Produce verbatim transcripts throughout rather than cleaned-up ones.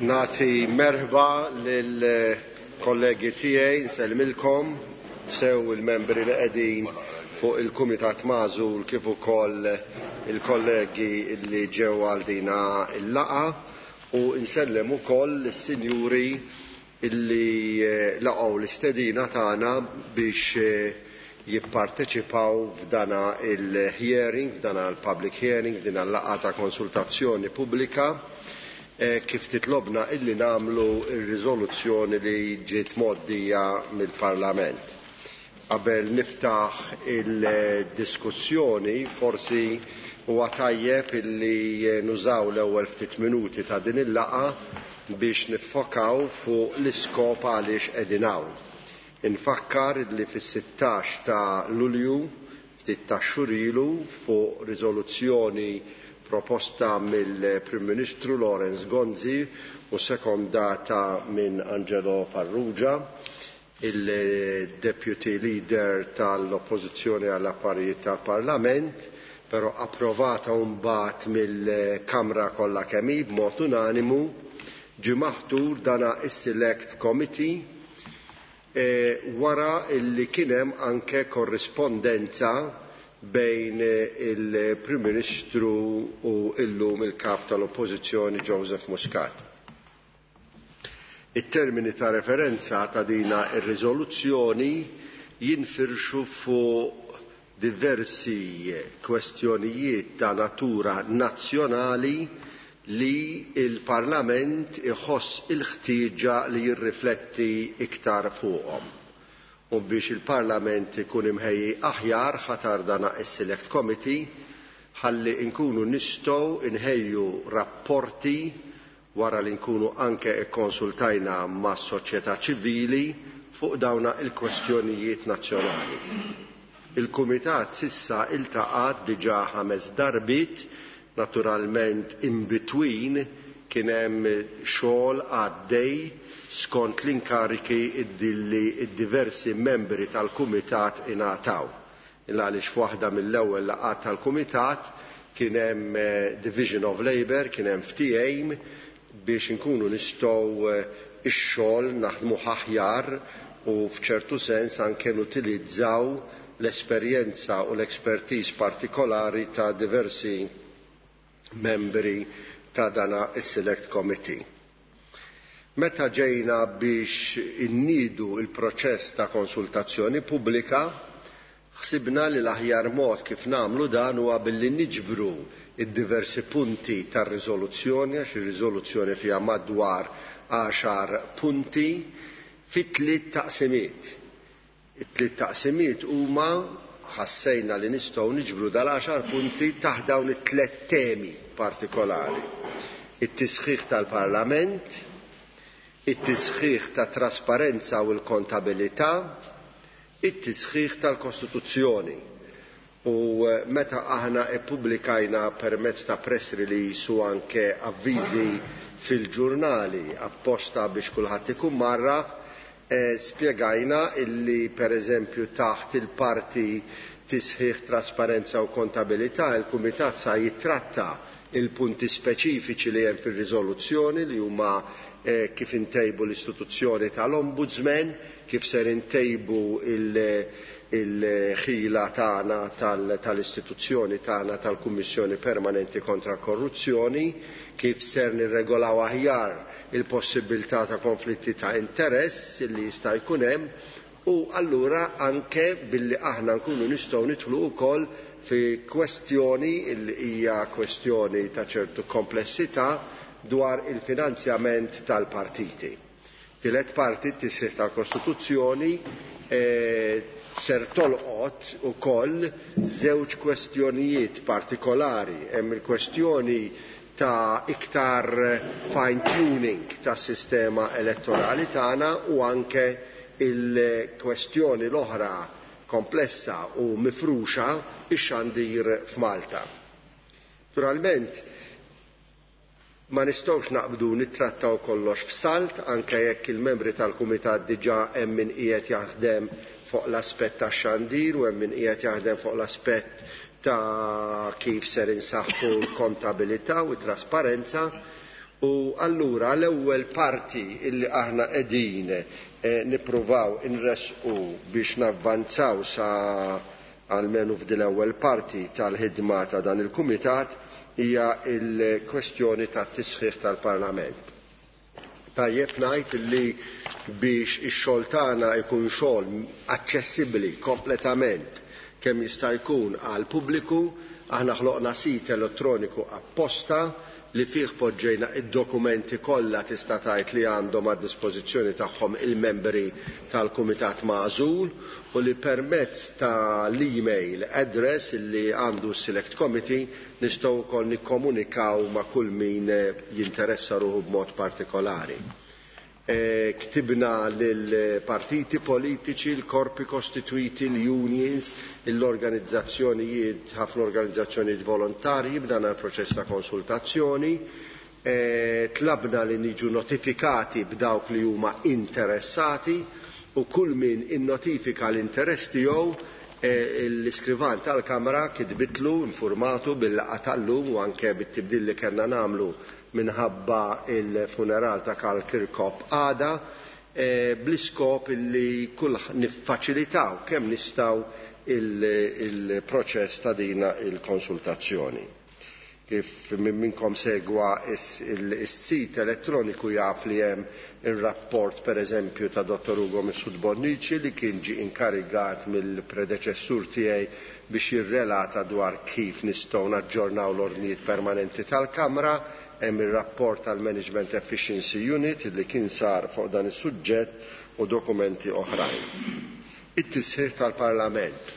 Nagħti merħba lil kollegi tiegħi, nsellmilkom sew il-membri li qegħdin fuq il-Kumitat Magħżul kif ukoll il-kollegi li ġew għal dina il-laqgħa, u nsellem ukoll is-sinjuri illi laqgħu l-istedina tagħna biex jipparteċipaw f'dana il-hearing, f'dana l-public hearing, f'dina l-laqgħa ta' konsultazzjoni pubblika, kif titlobna illi nagħmlu ir-riżoluzzjoni li ġiet mgħoddija mill-Parlament. Qabel niftaħ il-diskussjoni, forsi huwa tajjeb illi nużaw l-ewwel ftit minuti ta' din il-laqgħa biex niffokaw fuq l-iskop għaliex qegħdin hawn. Infakkar li fis-sittax ta' Lulju, ftit ta' xhur ilu, fuq riżoluzzjoni proposta mill-Prim Ministru Lawrence Gonzi u sekondata minn Angelo Farrugia, il-Deputy Leader tal-Oppożizzjoni għall-Affarijiet tal-Parlament, però approvata mbagħad mill-Kamra kollha kemm hi b'mod unanimu, ġie maħtur dana is-Select Committee e, wara illi kien hemm anke korrispondenza bejn il-Prim Ministru u illum il-Kap tal-Oppożizzjoni Joseph Muscat. It-termini ta' referenza ta' dina ir-riżoluzzjoni jinfirxu fuq diversi kwestjonijiet ta' natura nazzjonali li il-Parlament iħoss il-ħtieġa li jirrifletti iktar fuqhom. U biex il-Parlament ikun imħejji aħjar ħatar dana is-Select Committee ħalli nkunu nistgħu nħejju rapporti wara li nkunu anke ikkonsultajna mas-soċjetà ċivili fuq dawna il-kwestjonijiet nazzjonali. Il-Kumitat sissa iltaqat diġà ħames darbit, naturalment in between kien hemm xogħol għaddej skont l-inkariki illi id-diversi membri tal-Kumitat ingħataw. Illa għaliex f'waħda mill-ewwel laqgħat tal-Kumitat kien hemm division of labour, kien hemm ftehim biex inkunu nistgħu ix-xogħol naħdmu aħjar u f'ċertu sens anke nutilizzaw l-esperjenza u l-expertise partikolari ta' diversi membri ta' dana is-Select Committee. Meta ġejna biex innidu il-proċess ta' konsultazzjoni pubblika, ħsibna li l-aħjar mod kif nagħmlu dan huwa billi niġbru id-diversi punti tar-riżoluzzjoni, għax ir-riżoluzzjoni fiha madwar għaxar punti, fi tliet taqsimiet. It-tliet taqsimiet huma ħassejna li nistgħu niġbru dal-għaxar punti taħt dawn it-tliet temi partikolari. It-tisħiħ tal-Parlament, it-tisħiħ ta' trasparenza u l-kontabilità, it-tisħiħ tal-Kostituzzjoni. U meta aħna ippubblikajna permezz ta' press release u anke avviżi fil-ġurnali apposta biex kulħadd ikun marraf, eh, spjegajna illi per eżempju taħt il-parti tisħiħ trasparenza u kontabilità il-Kumitat sa jitratta il-punti speċifiċi li hemm fir-riżoluzzjoni li huma eh, kif intejbu l-istituzzjoni tal-Ombudsman, kif ser intejbu il-ħila tagħna tal-istituzzjoni tagħna tal-Kummissjoni Permanenti kontra Korruzzjoni, kif ser nirregolaw aħjar il-possibilità ta' konflitti ta' interess li jista' jkun hemm, u allura anke billi aħna nkunu nistgħu nidħlu wkoll fi kwestjoni li hija kwestjoni ta' ċertu komplessità dwar il-finanzjament tal-partiti. Tielet parti, t-tisħiħ tal-Kostituzzjoni, eh, ser tolqot ukoll żewġ kwestjonijiet partikolari. Hemm il-kwestjoni ta' iktar fine-tuning tas-sistema elettorali tagħna u anke il-kwestjoni l-oħra komplessa u mifruxa, ix-xandir f'Malta. Naturalment, ma nistgħux naqbdu nittrattaw kollox f'salt, anke jekk il-membri tal-Kumitat diġà hemm min qiegħed jaħdem fuq l-aspett tax-xandir u hemm min qiegħed jaħdem fuq l-aspett ta' kif ser insaħħu l-kontabilità u t-trasparenza, U allura l-ewwel parti illi aħna qegħdin eh, nippruvaw inresqu biex navvanzaw sa almenu f'din l-ewwel parti tal-ħidma ta' dan il-kumitat hija l-kwestjoni tat-tisħiħ tal-Parlament. Tajjeb ngħid li biex ix-xogħol tagħna jkun xogħol aċċessibbli kompletament kemm jista' jkun għal pubbliku, aħna ħloqna sit elettroniku apposta li fih poġġejna id-dokumenti kollha tista' tgħid li għandhom għad dispożizzjoni tagħhom il-membri tal-Kumitat Magħżul u li permezz ta' l-email address li għandu s-Select Committee nistgħu wkoll nikkomunikaw ma' kull min jinteressa ruħu b'mod partikolari. E, ktibna lill-partiti politiċi, l-korpi kostituiti, l-unions, l-organizzazzjonijiet, ħafna organizzazzjonijiet volontarji b'dan il-proċess ta' konsultazzjoni. E, tlabna li niġu notifikati b'dawk li huma interessati u kull min innotifika l-interess tiegħu e, l-iskrivan tal-Kamra kitbitlu informatu bil-laqgħa tal-lum u anke bit-tibdil li kellna nagħmlu minħabba il-funeral ta' Karl Kirkop għada e, bl-iskop illi kull niffaċilitaw kemm nistgħu il-proċess ta' dina il-konsultazzjoni. Kif minnkom segwa is-sit elettroniku jaf li hemm ir-rapport pereżempju ta' Dottor Ugo Mifsud Bonnici li kien ġie inkarigat mill-predeċessur tiegħi biex jirrelata dwar kif nistgħu naġġornaw l-ordnijiet permanenti tal-Kamra. Hemm ir-rapport tal-Management Efficiency Unit li kien sar fuq dan is-suġġett u dokumenti oħrajn. It-tisħiħ tal-Parlament.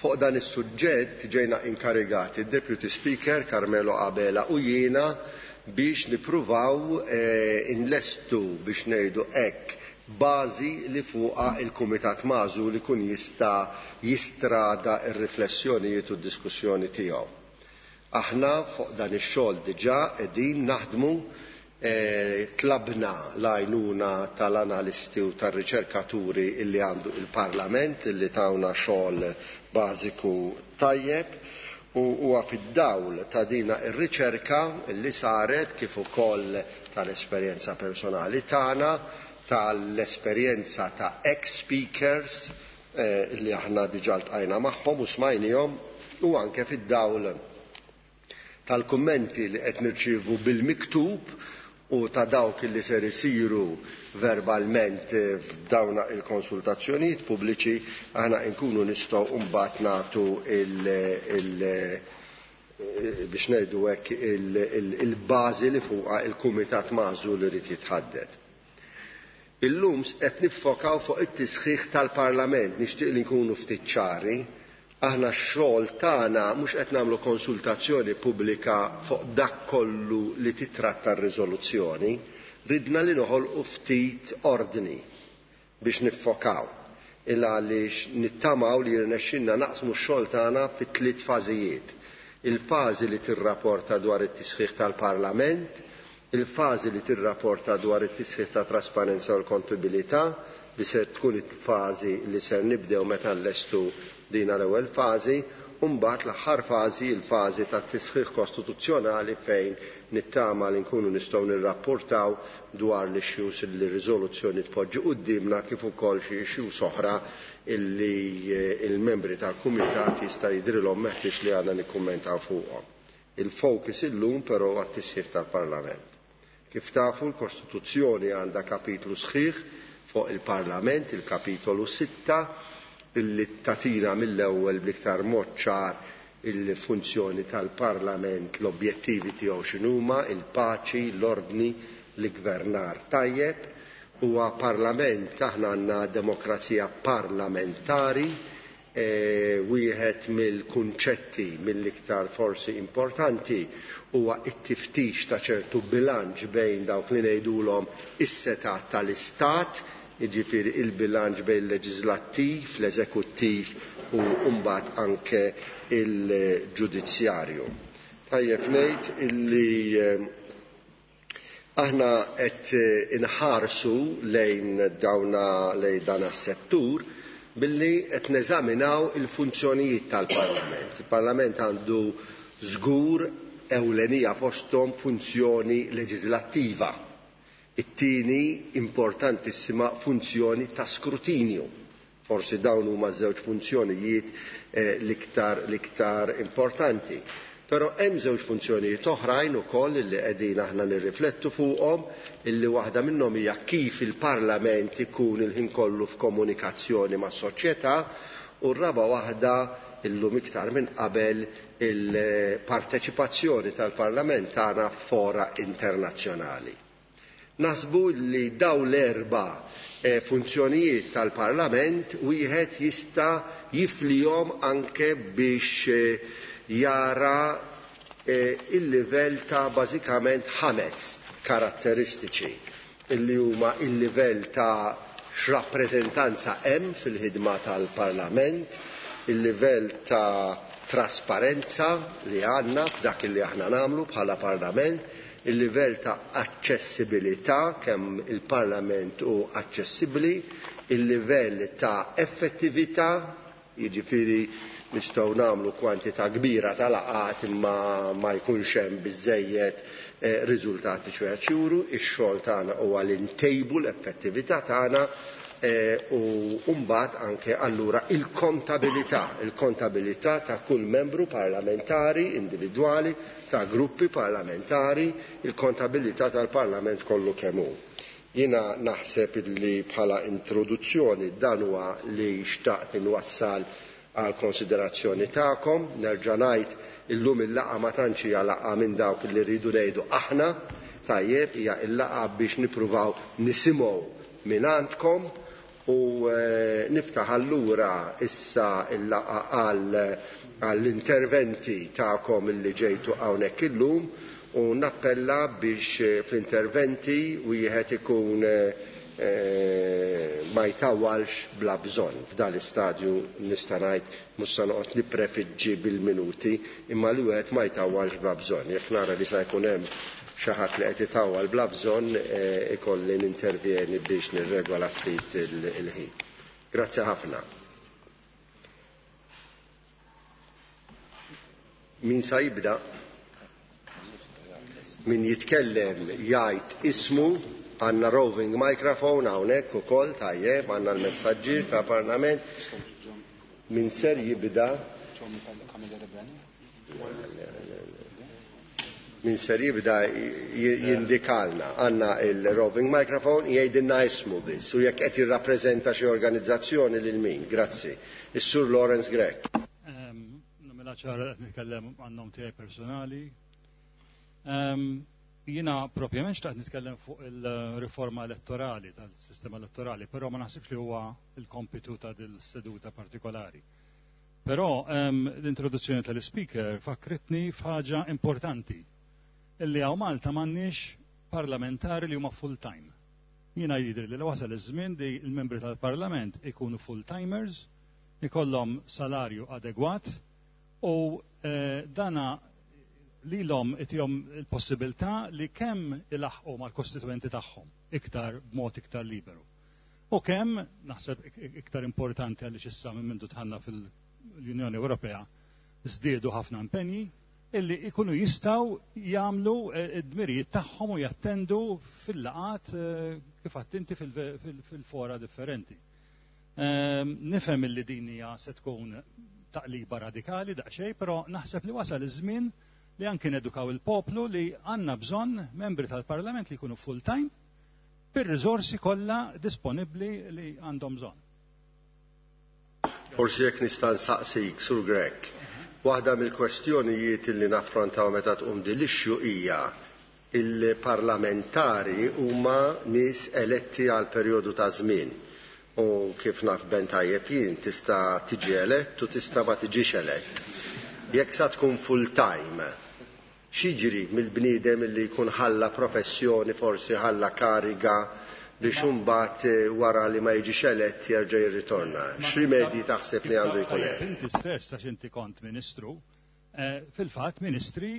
Fuq dan is-suġġett ġejna inkarigati id-Deputy Speaker Carmelo Abela u jiena biex nippruvaw eh, inlestu biex ngħidu hekk bażi li fuqha il-Kumitat Magħżul ikun jista' jistrada r-riflessjonijiet u d-diskussjoni tiegħu. Aħna fuq dan ix-xogħol diġà qegħdin naħdmu, eh, tlabna l-għajnuna tal-analisti u tar-riċerkaturi illi għandu il-Parlament illi tawna xogħol bażiku tajjeb u huwa fid-dawl ta' dina ir-riċerka illi saret kif ukoll tal-esperjenza personali tagħna, tal-esperjenza ta' ex-speakers eh, li aħna diġà ltqajna magħhom u smajnihom u anke fid-dawl tal-kummenti li qed nirċievu bil-miktub u ta' dawk li ser isiru verbalment f'dawna il-konsultazzjonijiet pubbliċi, aħna nkunu nistgħu mbagħad nagħtu il, il, biex ngħidu hekk il-bażi li fuqha il-Kumitat Magħżul irid jitħadded. Illum qed niffokaw fuq it-tisħiħ tal-Parlament, nixtieq li nkunu ftit ċari. Aħna x-xogħol tagħna mhux qed nagħmlu konsultazzjoni pubblika fuq dak kollu li titratta r-riżoluzzjoni, ridna li noħolqu ftit ordni biex niffokaw. Illa għaliex nittamaw li jirnexxinna naqsmu x-xogħol tagħna fi tliet fażijiet. Il-fażi li tirrapporta dwar it-tisħiħ tal-Parlament, il-fażi li tirrapporta dwar it-tisħiħ ta' trasparenza u l-kontabilità, li ser tkun il-fażi li ser nibdew meta nlestu dina l-ewwel fażi, u mbagħad l-aħħar fażi, il-fażi tat-tisħiħ kostituzzjonali fejn nittama li nkunu nistgħu nirrapportaw dwar l-issues li r-riżoluzzjoni tpoġġi quddiemna kif ukoll xi issues oħra illi il-membri tal-kumitat jista' jidrilhom meħtieġ li għandna nikkummentaw fuqhom. Il-focus illum però għat-tisħiħ tal-Parlament. Kif tafu l-Kostituzzjoni għandha kapitlu sħiħ fuq il-Parlament, il-kapitolu sitta, illi tatina mill-ewwel bl-iktar mod ċar il-funzjoni tal-Parlament, l-objettivi tiegħu x'inhuma, il-paċi, l-ordni, l-gvernar tajjeb. Huwa Parlament, aħna għandna demokrazija parlamentari, e, wieħed mill-kunċetti mill-iktar forsi importanti huwa t-tiftix ta' ċertu bilanċ bejn dawk li ngħidulhom is-setat tal-Istat, jiġifieri il-bilanċ bejn il-leġislattiv, l-eżekuttiv u mbagħad anke il-ġudizzjarju. Tajjeb ngħid illi aħna qed inħarsu lejn dawna lejn dan is-settur billi qed neżaminaw il-funzjonijiet tal-Parlament. Il-Parlament għandu żgur ewlenija fosthom funzjoni leġislattiva. It-tieni importantissima funzjoni ta' skrutinju. Forsi dawn huma żewġ funzjonijiet eh, l-iktar l-iktar importanti. Però hemm żewġ funzjonijiet oħrajn ukoll li qegħdin aħna nirriflettu fuqhom, illi waħda minnhom hija kif il-Parlament ikun il-ħin kollu f'komunikazzjoni mas-soċjetà, u r-raba waħda illum iktar minn qabel il-parteċipazzjoni tal-Parlament tagħna f'fora internazzjonali. Nasbu li daw l-erba' eh, funzjonijiet tal-Parlament wieħed jista' jiflihom anke biex eh, jara eh, il-livell ta' bażikament ħames karatteristiċi illi huma il-livell ta' x'rappreżentanza hemm fil-ħidma tal-Parlament, il-livell ta' trasparenza li għandna f'dak li aħna nagħmlu bħala Parlament, il-livell ta' aċċessibilità kemm il-Parlament hu aċċessibbli, il-livell ta' effettività, jiġifieri nistgħu nagħmlu kwantità kbira ta' laqgħat imma ma jkunx hemm biżejjed eh, riżultati ċwejja juru, ix-xogħol tagħna huwa li ntejbu l-effettività tagħna eh, u mbagħad anke allura il-kontabilità, il-kontabilità ta' kull membru parlamentari individwali, ta' gruppi parlamentari, il-kontabilità tal-Parlament kollu kemm hu. Jiena naħseb li bħala introduzzjoni dan huwa li xtaqt inwassal għal konsiderazzjoni tagħkom. Nerġa' ngħid illum il-laqgħa ma tantx hija laqgħa minn dawk li rridu ngħidu aħna, tajjeb, hija l-laqgħa biex nippruvaw nisimgħu minn għandkom u eh, niftaħ allura issa il-laqgħa għal għall-interventi tagħkom illi ġejtu hawnhekk illum, u nappella biex eh, fl-interventi wieħed ikun eh, ma jtawalx bla bżonn. F'dan l-istadju nista' ngħid mhux se noqgħod nipprefiġġi bil-minuti, imma li wieħed ma jtawalx bla bżonn. Jekk nara li se jkun hemm xi ħadd li qed itawwal bla bżonn, eh, ikolli nintervjeni biex nirregola ftit il-ħin. Grazzi ħafna. Min sa jibda? Min jitkellem jgħid ismu. Għanna roving microphone hawnhekk ukoll, tajjeb, għandna l-messaġġier ta' Parlament. Min ser jibda? Min ser jibda jindikalna. Għandna il-roving microphone, jgħidilna ismu biss u jekk qed jirrappreżenta xi organizzazzjoni lil min. Grazzi. Is-Sur Lawrence Grech. Nagħmilha ċara qed nitkellem għan-nom tiegħi personali. Jiena propjament xtaqt nitkellem fuq il-riforma elettorali, tal-sistema elettorali, però ma naħsibx li huwa il-kompitu ta' dil-seduta partikolari. Però l-introduzzjoni tal-speaker fakritni f'ħaġa importanti, illi hawn Malta m'għandniex parlamentari li huma full-time. Jiena jidri li wasal iż-żmien li l-membri tal-parlament ikunu full-timers, ikollhom salarju adegwat u eh, dana lilhom itihom il-possibilità li kemm ilaħqu mal-kostituenti tagħhom iktar b'mod iktar liberu. U kemm, naħseb iktar importanti għaliex issa minn mindu tħanna fil-Unjoni Ewropea żdiedu ħafna impenji, illi ikunu jistgħu jagħmlu id-dmirijiet tagħhom u jattendu fil-laqat kif għadd inti fil-fora differenti. Nifhem illi din hija se tkun taqliba radikali daqsxejn, però naħseb li wasal iż-żmien li anki nedukaw il-poplu li għandna bżonn membri tal-Parlament li jkunu full-time bir-riżorsi kollha disponibbli li għandhom bżonn. Forsi jekk nista' nsaqsik, Sur Grech, waħda mill-kwestjonijiet li naffrontaw meta tqum din l-issue hija il-parlamentari huma nies eletti għal perjodu ta' żmien. U kif naf ben tajjeb jien tista' tiġi elett u tista' ma tiġix elett. Jekk sa tkun full-time, x'jiġri mill-bniedem li jkun ħalla professjoni, forsi ħalla kariga biex imbagħad wara li ma jiġix elett jerġa' jirritorna? X'rimedji taħseb li għandu jkun hemm? Inti stess għax inti kont ministru, fil-fatt ministri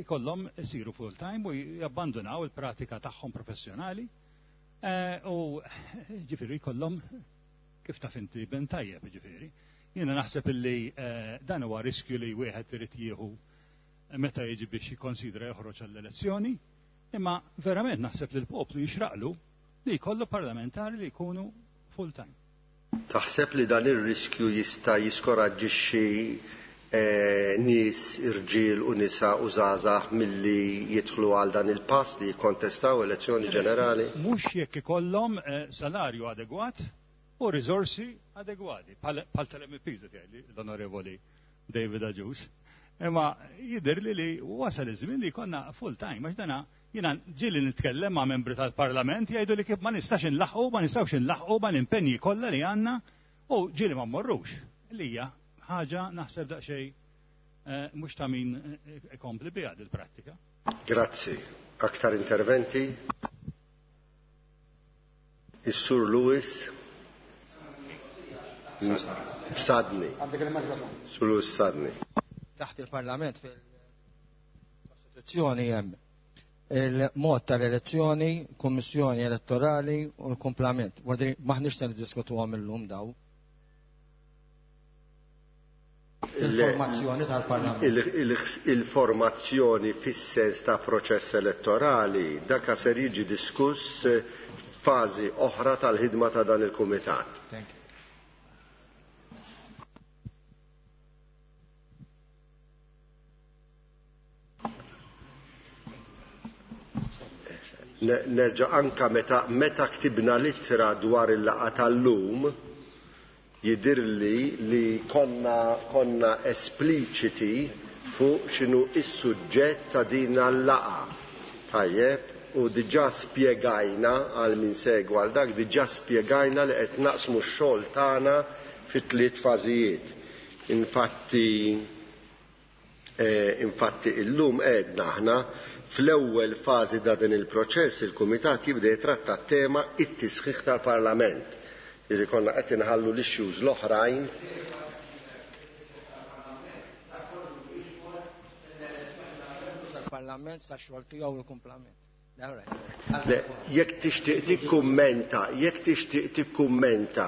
jkollhom isiru full-time u jabbandunaw il-pratika tagħhom professjonali u ġifieri jkollhom kif taf inti ben tajjeb ġifieri. Jiena naħseb illi dan huwa riskju li wieħed irid jieħu meta jiġi biex jikkonsidra joħroġ għall-elezzjoni, imma verament naħseb li l-poplu jixraqlu li jkollu parlamentari li jkunu full time. Taħseb li dan ir-riskju jista' jiskoraġġixxi eh, nies irġiel u nisa u żgħażagħ milli jidħlu għal dan il-pass li jikkontestaw elezzjoni ġenerali? Mhux jekk ikollhom eh, salarju adegwat u riżorsi adegwati, bħal tal-M Ps l-Onorevoli David Agius. Imma jidher li li wasal iż-żmien li jkollna full time, għax dana jiena ġieli nitkellem ma' membri tal-Parlament jgħidu li kif ma nistax inlaħqu, ma nistgħux inlaħqu ma l-impenji kollha li għandna u ġieli ma mmorrux. Li hija ħaġa naħseb daqsxejn eh, mhux ta' min eh, ikompli biha dil-prattika. Grazzi. Aktar interventi? Is-Sur Lewis? Sadni. Sur Lewis Sadni. Taħt il-Parlament fil-Kostituzzjoni hemm il-mod tal-elezzjoni, kummissjoni elettorali u l-komplament. Għadri maħniex se niddiskutuhom illum daw. Il-formazzjoni tal-Parlament. Il-formazzjoni fis-sens ta' proċess elettorali daka ser jiġi diskuss f'fażi oħra tal-ħidma ta' dan il-kumitat. Thank you. Nerġa' anka meta meta ktibna littra dwar il-laqgħa tal-lum jidirli li konna konna espliċiti fuq x'inhu is-suġġett ta' din l-laqgħa. Tajjeb, u diġà spjegajna għal min segwa għal dak, diġà spjegajna li qed naqsmu x-xogħol tagħna fi tliet fażijiet. Infatti eh, infatti illum għedna aħna fl-ewwel fażi ta' din il-proċess il-Kumitat jibda jitratta tema it-tisħiħ tal-Parlament. Jiġi konna qed inħallu l-issues l-oħrajn. Parlament sa xogħol tiegħu il-kumplament. Le, jekk tixtieq tikkummenta, jekk tixtieq tikkummenta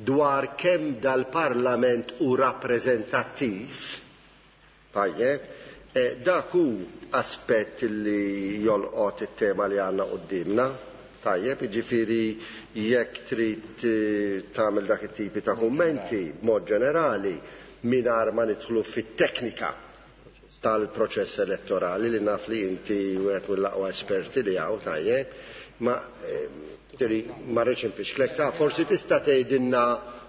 dwar kemm dal-Parlament hu rappreżentattiv, tajjeb, eh, dak hu aspett li jolqot it-tema li għandna qudiemna. Tajjeb, jiġifieri jekk trid eh, tagħmel dak it-tipi ta' kummenti b'mod ġenerali mingħajr ma nidħlu fit-teknika tal-proċess elettorali li naf li inti wieħed mill-aqwa esperti li hawn, tajjeb, ma eh, ma rridx infixklek ta' forsi tista' tgħidilna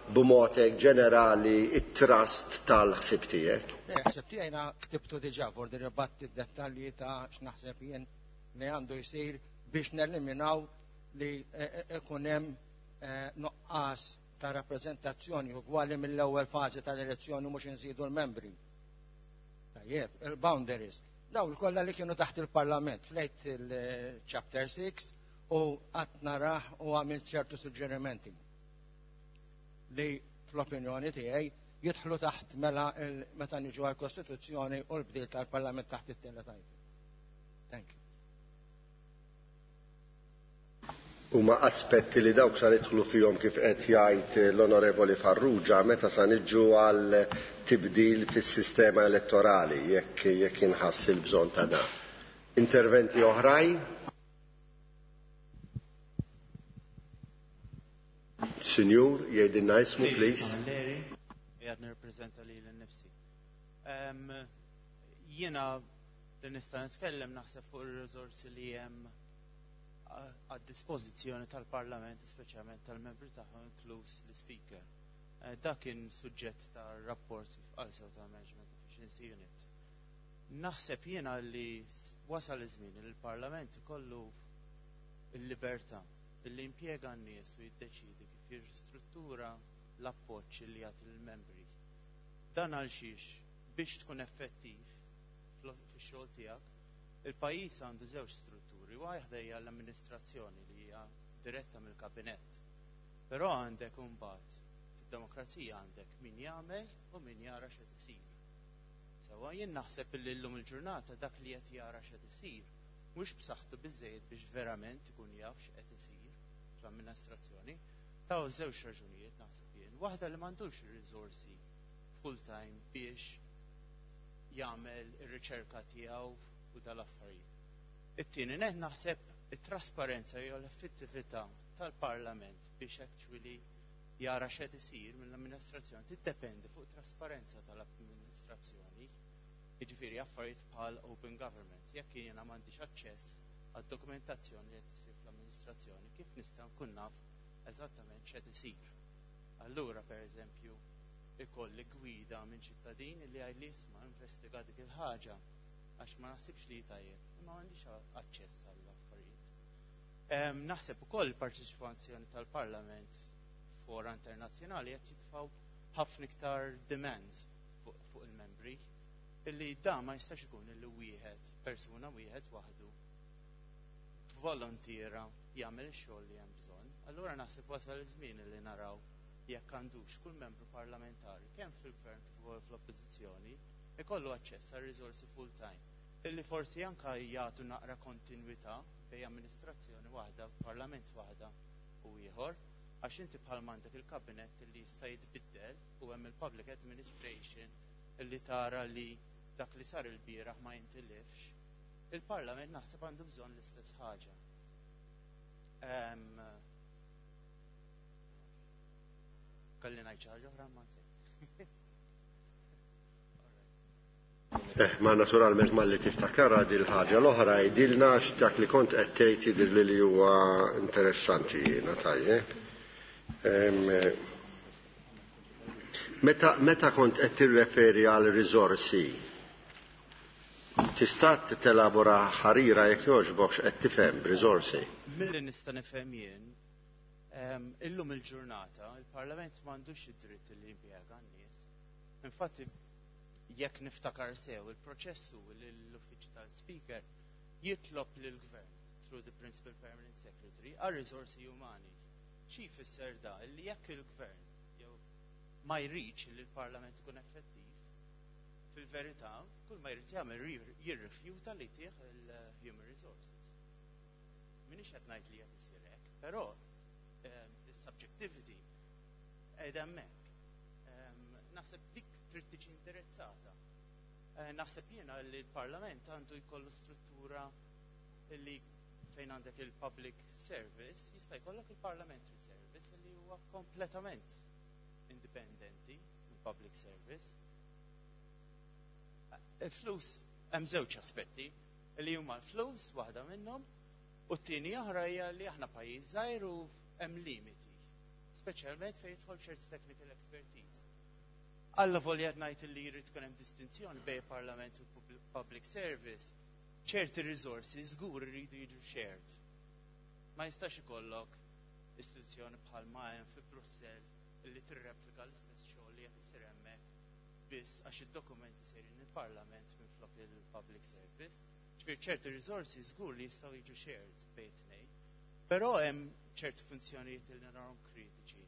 b'mod ġenerali it-trust tal-ħsieb tiegħek. Ħsieb tiegħi ktibtu diġà for ribatti d-dettalji ta' x'naħseb jien li għandu jsir biex neliminaw li ikun hemm nuqqas ta' rappreżentazzjoni ugwali mill-ewwel fażi tal-elezzjoni mhux inżidu l-membri. Tajjeb, il-boundaries. Daw il-kollha li kienu taħt il-Parlament flejt il-Chapter six u qatt narah u għamilt ċertu suġġerimenti li fl-opinjoni tiegħi jidħlu taħt mela meta niġu għall-Kostituzzjoni u l-bdil tal-Parlament taħt it-tielet item. Thank you. Huma aspetti li dawk sa nidħlu fihom kif qed jgħid l-Onorevoli Farrugia meta sa niġu għal tibdil fis-sistema elettorali jekk jekk inħass il-bżonn ta' dan. Interventi oħrajn? Sinjur, jgħidilna ismu, please. Qiegħed nirrappreżenta lili nnifsi. Jiena li nista' nitkellem naħseb fuq ir-riżorsi li hemm għad-dispożizzjoni tal-Parlament, speċjalment tal-membri tagħhom inkluż l-Speaker. Dak kien suġġett tar-rapport f'qalsew tal-Management Efficiency Unit. Naħseb jiena li wasal iż-żmien li l-Parlament ikollu l-libertà li impjega n-nies u jiddeċidi kif jirristruttura l-appoġġ li jagħti lill-membri. Dan għal xiex biex tkun effettiv fix-xogħol tiegħek, il-pajjiż għandu żewġ strutturi, waħda hija l-amministrazzjoni li hija diretta mill-kabinett. Però għandek imbagħad fid-demokrazija għandek min jagħmel u min jara x'qed isir. Sewwa jien naħseb li llum il-ġurnata dak li qed jara x'qed isir mhux b'saħħtu biżejjed biex verament ikun jaf x'qed isir fl-amministrazzjoni. Taw żewġ raġunijiet naħseb jien. Waħda li m'għandux ir-riżorsi full time biex jagħmel ir-riċerka tiegħu u dal-affarijiet. It-tieni nett naħseb it-trasparenza jew l-effettività tal-Parlament biex actually jara x'qed isir mill-amministrazzjoni tiddependi fuq trasparenza tal-amministrazzjoni. Jiġifieri affarijiet bħal open government. Jekk jiena m'għandix aċċess għad-dokumentazzjoni li qed isir fl-amministrazzjoni, kif nista' nkun naf eżattament x'qed isir? Allura, pereżempju, ikolli gwida minn ċittadin li għajli isma' investiga dik il-ħaġa għax ma naħsibx li tajjeb, imma m'għandix aċċess għall-affarijiet. Naħseb ukoll il-parteċipazzjoni tal-Parlament fora internazzjonali qed jitfgħu ħafna iktar demands fuq fu il-membri illi da ma jistax ikun illi wieħed persuna wieħed waħdu volontiera jagħmel ix-xogħol li hemm bżonn. Allura naħseb wasal iż-żmien li naraw jekk għandux kull membru parlamentari kemm fil-gvern kif ukoll fl-oppożizzjoni ikollu aċċess għal riżorsi full time illi forsi anka jagħtu naqra kontinwità bejn amministrazzjoni waħda, parlament waħda u ieħor, għax inti bħal m'għandek il-kabinet li jista' jitbiddel u hemm il-public administration illi tara li dak li sar il-bieraħ ma jintilifx. Il-Parlament naħseb għandu bżonn l-istess ħaġa. Em, Kalli ngħid xi ħaġa oħra ma nsejt. Eh, ma naturalment malli tiftakara dil ħaġa l-oħra jgħidilna x'dak li kont qed tgħid jidhirli li huwa interessanti jiena tajjeb. Em, Meta, meta kont qed tirreferi għal riżorsi, tista' telabora ħarira jekk jogħġbok x'qed tifhem b'riżorsi? Milli nista' nifhem jien, em, illum il-ġurnata il-Parlament m'għandux id-dritt li jimpjega n-nies. Infatti, jekk niftakar sew, il-proċess hu li l-Uffiċċju tal-Speaker jitlob lill-Gvern through the Principal Permanent Secretary għal riżorsi umani. Xi jfisser da? Li jekk il-Gvern jew ma jridx li l-Parlament ikun effettiv, fil-verità, kull ma jrid jagħmel jirrifjuta li tih il-human resources. Minix qed ngħid li qed isir hekk, però is-subjectivity qiegħda hemmhekk. Naħseb dik trid tiġi indirizzata. Naħseb jiena li l-Parlament għandu jkollu struttura li fejn għandek il-public service, jista' jkollok il-parliamentary service li huwa kompletament indipendenti mill-public service. Il-flus hemm żewġ aspetti li huma l-flus waħda minnhom u t-tieni oħra hija li aħna pajjiż żgħir u hemm limiti, speċjalment fejn jidħol ċerti technical expertise. Alla volja ngħid li jrid tkun hemm distinzjoni bejn Parlament u public service, ċerti riżorsi żgur iridu jiġu shared. Ma jistax ikollok istituzzjoni bħal ma hemm fi Brussell li tirreplika l-istess xogħol li qed isir hemmhekk biss għax id-dokumenti sejrin il-Parlament minflok il-public service. Ġifier ċerti riżorsi żgur li jistgħu jiġu shared bejn tnejn. Però hemm ċerti funzjonijiet li narahom kritiċi.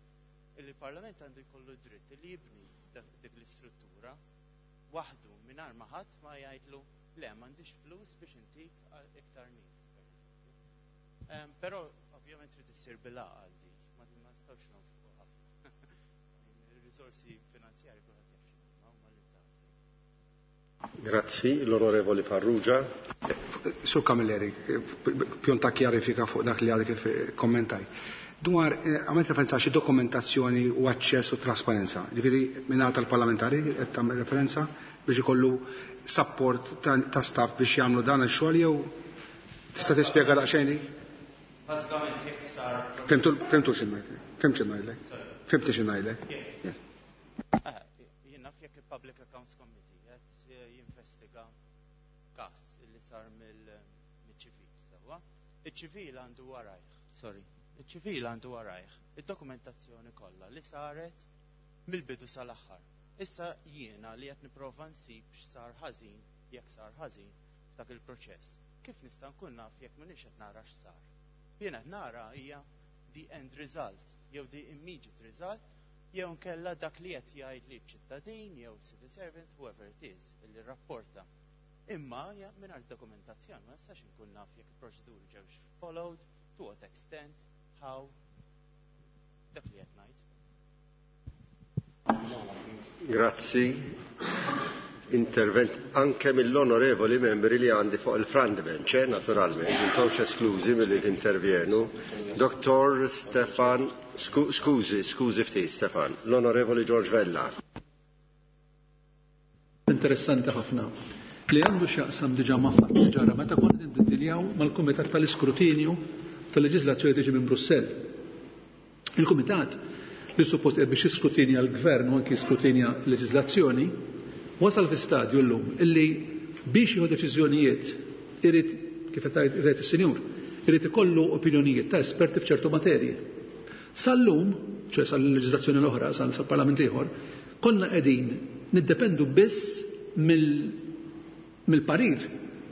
Illi l-Parlament għandu jkollu dritt li jibni dik l-istruttura waħdu mingħajr ma ħadd ma jgħidlu le m'għandix flus biex intik iktar nies, pereżempju. Però ovvjament trid issir bil-għaqal dik, ma nistgħux nonfqu ħafna. Ir-riżorsi finanzjarji kulħadd jaf x'inhuma huma limitati. Grazzi, l-Onorevoli Farrugia. Sur Camilleri, pjonta kjarifika fuq dak li għadek kif kommentaj. Dwar, għamilt referenza xi dokumentazzjoni u aċċess u trasparenza. Ġifieri mingħata tal-parlamentari qed tagħmel referenza biex ikollu support ta' staff biex jagħmlu dan ix-xogħol jew tista' tispjega daqsxejn dik? Bażikament jekk sar. Fimtu fimtu xi ngħidlek. Fimt xi ngħidlek. Fimti xi ngħidlek. Jien naf jekk il-Public Accounts Committee qed jinvestiga każ li sar mill-ċivil, sewwa. Iċ-ċivil għandu warajh, sorry. Iċ-ċivil għandu warajh id-dokumentazzjoni kollha li saret mill-bidu sal-aħħar. Issa jiena li qed nipprova nsib x'sar ħażin, jekk sar ħażin f'dak il-proċess. Kif nista' nkun naf jekk m'iniex qed nara x'sar? Jiena qed nara hija the end result, jew the immediate result, jew nkella dak li qed jgħid li ċittadin jew civil servant, whoever it is, illi rapporta. Imma mingħajr dokumentazzjoni ma nistax inkun naf jekk il-proċeduri ġewx followed, to what extent, how, dak li qed ngħid. Grazzi. Intervent anke mill-onorevoli membri li għandi fuq il-front bench, eh, naturalment, intomx esklużi milli tintervjenu. Doktor Stefan, skużi, skużi ftit Stefan, l-onorevoli George Vella. Interessanti ħafna li għandu x'jaqsam diġà ma' fatt li ġara meta konna niddiljaw mal-Kumitat tal-Iskrutinju tal-Leġiżlazzjoni tiġi minn Brussell. Il-Kumitat li suppost qed biex jiskrutinja l-Gvern u anki jiskrutinja l-leġiżlazzjoni wasal fi stadju llum illi biex jieħu deċiżjonijiet irid, kif qed tgħid is-Sinjur, irid ikollu opinjonijiet ta' esperti f'ċertu materji. Sal-lum, ċoe sal-leġiżlazzjoni l-oħra, sal-Parlament ieħor, konna qegħdin niddependu biss mill-parir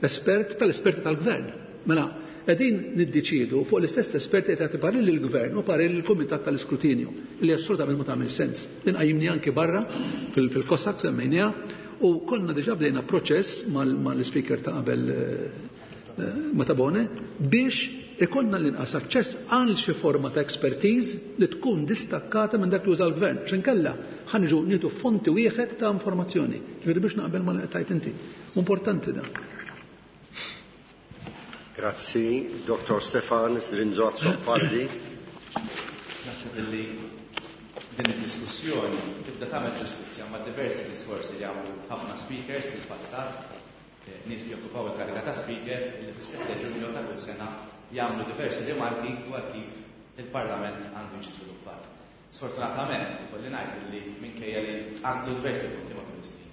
espert tal-esperti tal-Gvern. Mela, qegħdin niddeċiedu fuq l-istess esperti qed jagħti parir lill-Gvern u parir lill-Kumitat tal-Iskrutinju, li assolutament ma tagħmel sens. Din qajjimni anki barra fil-COSAC semmejniha, u konna diġà bdejna proċess mal-speaker ta' qabel Matabone biex ikollna l-inqas aċċess għal xi forma ta' expertise li tkun distakkata minn dak li uża l-gvern. X'inkella ħa niġu nieħdu fonti wieħed ta' informazzjoni. Ġifieri biex naqbel ma tajt inti. Importanti dan. Grazzi, Doktor Stefan Zrinzo Azzopardi. Naħseb li din id-diskussjoni tibda tagħmel ġustizzja ma' diversi diskorsi li għamlu ħafna speakers fil-passat, nies li jokkupaw il-kariga ta' speaker li fis-sette Ġunju ta' kull sena jagħmlu diversi rimarki dwar kif il-Parlament għandu jiġi żviluppat. Sfortunatament, ikolli ngħid li minkejja li għandu diversi punti matul is-snin,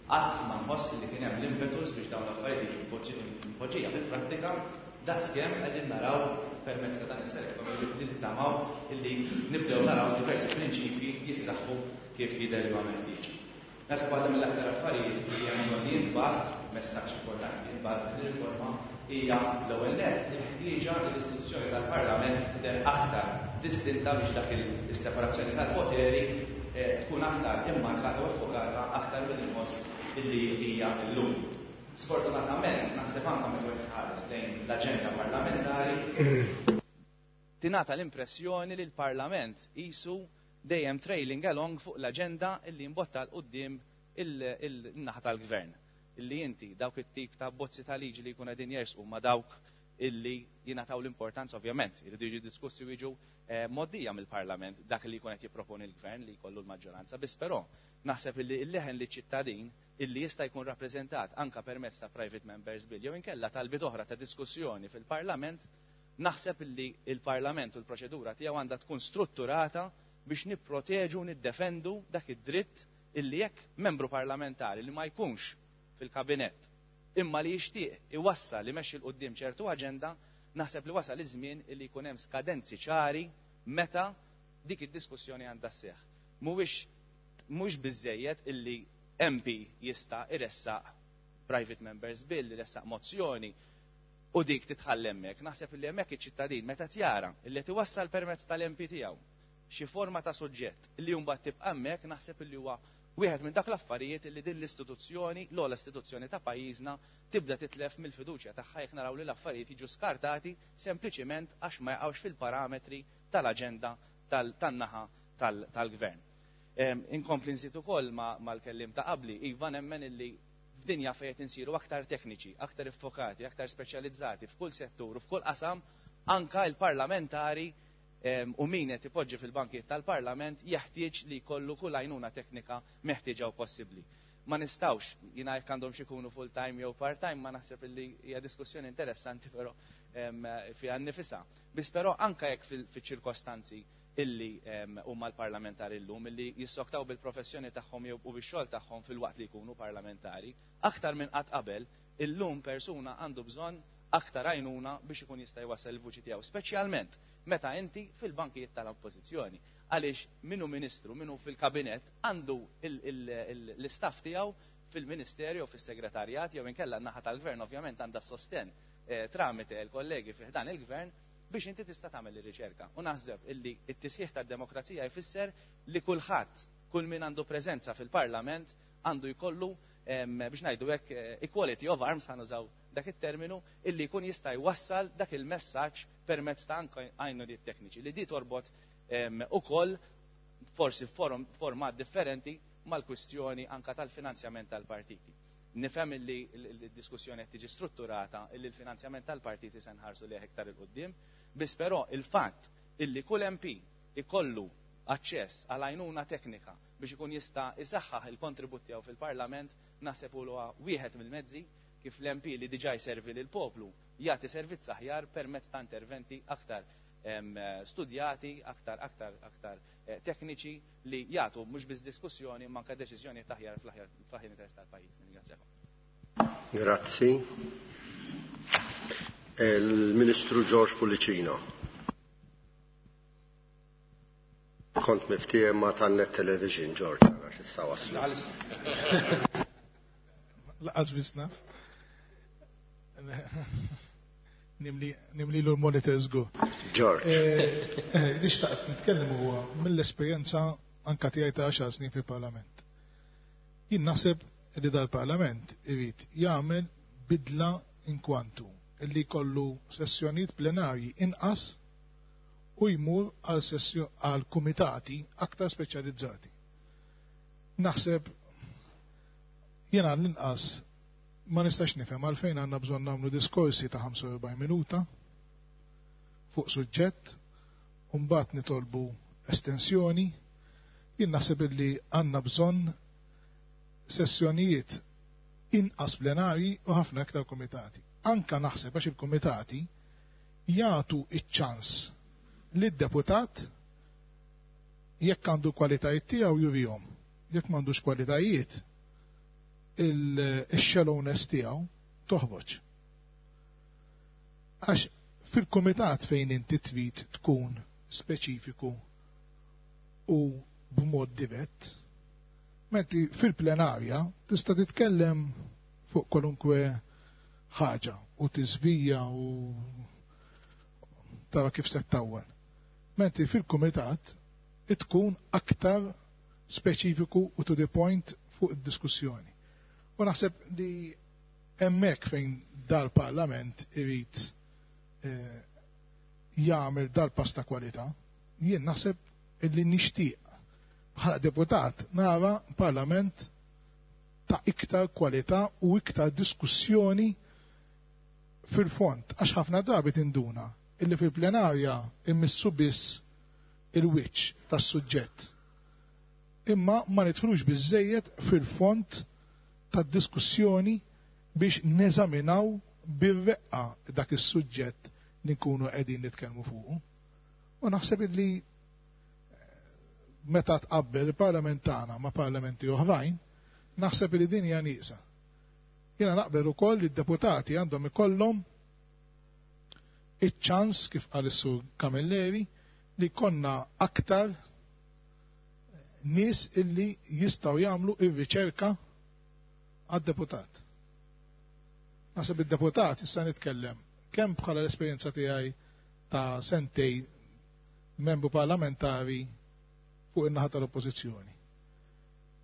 qatt ma nħoss li kien hemm l-impetus biex dawn l-affarijiet jiġu mpoġġija fil-prattika daqskemm qegħdin naraw permezz ta' dan is-select committee li nittamaw illi nibdew naraw diversi prinċipji jissaħħu kif jidher li huwa meħtieġ. Naħseb waħda mill-aktar affarijiet li hemm bżonn li jintbagħat, messaġġ importanti li jintbagħat din ir-riforma hija l-ewwel nett il-ħtieġa li l-istituzzjoni tal-Parlament tidher aktar distinta biex dak is-separazzjoni tal-poteri tkun aktar immarkata u effokata aktar mill-inħoss illi hija llum. Sfortunatament, naħseb anke meta wieħed ħares lejn l-aġenda parlamentari, tingħata l-impressjoni li l-Parlament qisu dejjem trailing along fuq l-aġenda illi jimbotta l quddiem il-naħa tal-gvern. Illi inti dawk it-tip ta' bozzi ta' liġi li jkun qegħdin jersqu ma' dawk illi jingħataw l-importanza ovvjament, iridu jiġu diskussi u jiġu moddija mill-Parlament dak li jkun qed jipproponi l-gvern li jkollu l-maġġoranza, biss però naħseb illi l-leħen li ċittadin illi jista' jkun rappreżentat anka permezz ta' private members bill jew inkella talbiet oħra ta' diskussjoni fil-Parlament, naħseb illi il-Parlament u l-proċedura tiegħu għandha tkun strutturata biex nipproteġu u niddefendu dak id-dritt illi jekk membru parlamentari li ma jkunx fil-kabinett imma li jixtieq iwassal li mexxi l quddiem ċertu aġenda, naħseb li wasal iż-żmien illi jkun hemm skadenzi ċari meta dik id-diskussjoni għandha sseħħ. Mhuwiex mhux biżejjed illi M P jista' iressaq private members bill, iressaq mozzjoni u dik titħall hemmhekk. Naħseb illi hemmhekk iċ-ċittadin meta tjara illi tiwassal permezz tal-M P tiegħu xi forma ta' suġġett li mbagħad tibqa' hemmhekk, naħseb illi huwa wieħed minn dak l-affarijiet li din l-istituzzjoni, l-ogħla istituzzjoni ta' pajjiżna, tibda titlef mill-fiduċja tagħha jekk naraw li l-affarijiet jiġu skartati sempliċiment għax ma jaqgħux fil-parametri tal-aġenda tan-naħa tal-gvern. Inkompli nżid ukoll mal-kellim ta' qabli, iva nemmen illi f'dinja fejn qed insiru aktar tekniċi, aktar iffokati, aktar speċjalizzati f'kull settur u f'kull qasam, anka l-parlamentari u min qed ipoġġi fil-bankijiet tal-Parlament jeħtieġ li jkollu kull għajnuna teknika meħtieġa u possibbli. Ma nistgħux, jiena jekk għandhom xi jkunu full time jew part time, ma naħseb illi hija diskussjoni interessanti però fiha nnifisha. Biss però anke jekk fiċ-ċirkostanzi illi huma l-parlamentari llum illi jissoktaw bil-professjoni tagħhom jew u bix-xogħol tagħhom fil-waqt li jkunu parlamentari, aktar minn qatt qabel illum persuna għandu bżonn aktar għajnuna biex ikun jista' jwassal il-vuċi tiegħu, speċjalment meta inti fil-bankijiet tal-oppożizzjoni. Għaliex minnu ministru, minnu fil-kabinett għandu l-istaff tiegħu fil-ministerju, fis-segretarjat jew inkella n-naħa tal-gvern ovvjament għandha sosten tramite l-kollegi fi ħdan il-gvern biex inti tista' tagħmel ir-riċerka. U naħseb illi t-tisħiħ tad-demokrazija jfisser li kulħadd, kull min għandu preżenza fil-Parlament għandu jkollu biex ngħidu hekk equality of arms, ħanużaw dak it-terminu, illi jkun jista' jwassal dak il-messaġġ permezz ta' anke għajnuniet tekniċi li di torbot ukoll forsi format differenti mal-kwistjoni anka tal-finanzjament tal-partiti. Nifhem li l-diskussjoni qed tiġi strutturata illi l-finanzjament tal-partiti se nħarsu lejh iktar 'il quddiem, biss però il-fatt illi kull M P ikollu aċċess għal għajnuna teknika biex ikun jista' isaħħaħ il-kontribut tiegħu fil-Parlament, naħseb huwa wieħed mill-mezzi kif l-M P li diġà jservi lil poplu jagħti servizz aħjar permezz ta' interventi aktar studjati, aktar aktar aktar eh, tekniċi li jagħtu mhux biss diskussjoni, ma anke deċiżjoni aħjar fl-aħjar interess tal-pajjiż. Ningrazzjakom. Grazzi. Il-Ministru George Pullicino. Kont miftiehem ma' tan-Net Television, George, għax issa waslu. Lanqas biss naf. Nimlilu l-monitor żgur. George. Eh, eh, li xtaqt nitkellem huwa mill-esperjenza anka tiegħi ta' għaxar snin fil-Parlament. Jien naħseb li dal-Parlament irid jagħmel bidla inkwantu illi kollu sessjonijiet plenarji inqas u jmur għal għal kumitati aktar speċjalizzati. Naħseb jiena l-inqas ma nistax nifhem għalfejn għandna bżonn nagħmlu diskorsi ta' ħamsa u erbgħin minuta fuq suġġett u mbagħad nitolbu estensjoni. Jien naħseb illi għandna bżonn sessjonijiet inqas plenarji u ħafna aktar komitati. Anka naħseb għax il-komitati jagħtu iċ-ċans lid-deputat, jekk għandu kwalitajiet tiegħu jurihom. Jekk m'għandux kwalitajiet, il-shallowness tiegħu toħroġ. Għax fil-komitat fejn inti trid tkun speċifiku u b'mod dirett, mentri fil-plenarja tista' titkellem fuq kwalunkwe ħaġa u tiżvija u tara kif se ttawwal. Mentri fil-kumitat tkun aktar speċifiku u to the point fuq id-diskussjoni. U naħseb li hemmhekk fejn dal-Parlament irid eh, jagħmel dal-pass ta' kwalità, jien naħseb illi nixtieq bħala deputat nara parlament ta' iktar kwalità u iktar diskussjoni fil-fond, għax ħafna drabi tinduna illi fil-plenarja immissu biss il-wiċċ tas-suġġett. Imma ma nidħlux biżejjed fil-fond tad-diskussjoni biex neżaminaw bir-reqqa dak is-suġġett li nkunu qegħdin nitkellmu fuqu. U naħseb illi eh, meta tqabbel il-parlament tagħna ma' parlamenti oħrajn, naħseb li din hija nieqsa. Jiena naqbel ukoll li d-deputati għandhom ikollhom iċ-ċans, kif qal is-Sur Camilleri, li konna aktar nies illi jistgħu jagħmlu ir-riċerka għad-deputat. Naħseb id-deputat, issa nitkellem kemm bħala l-esperjenza tiegħi ta' sentejn membru parlamentari fuq in-naħa tal-oppożizzjoni,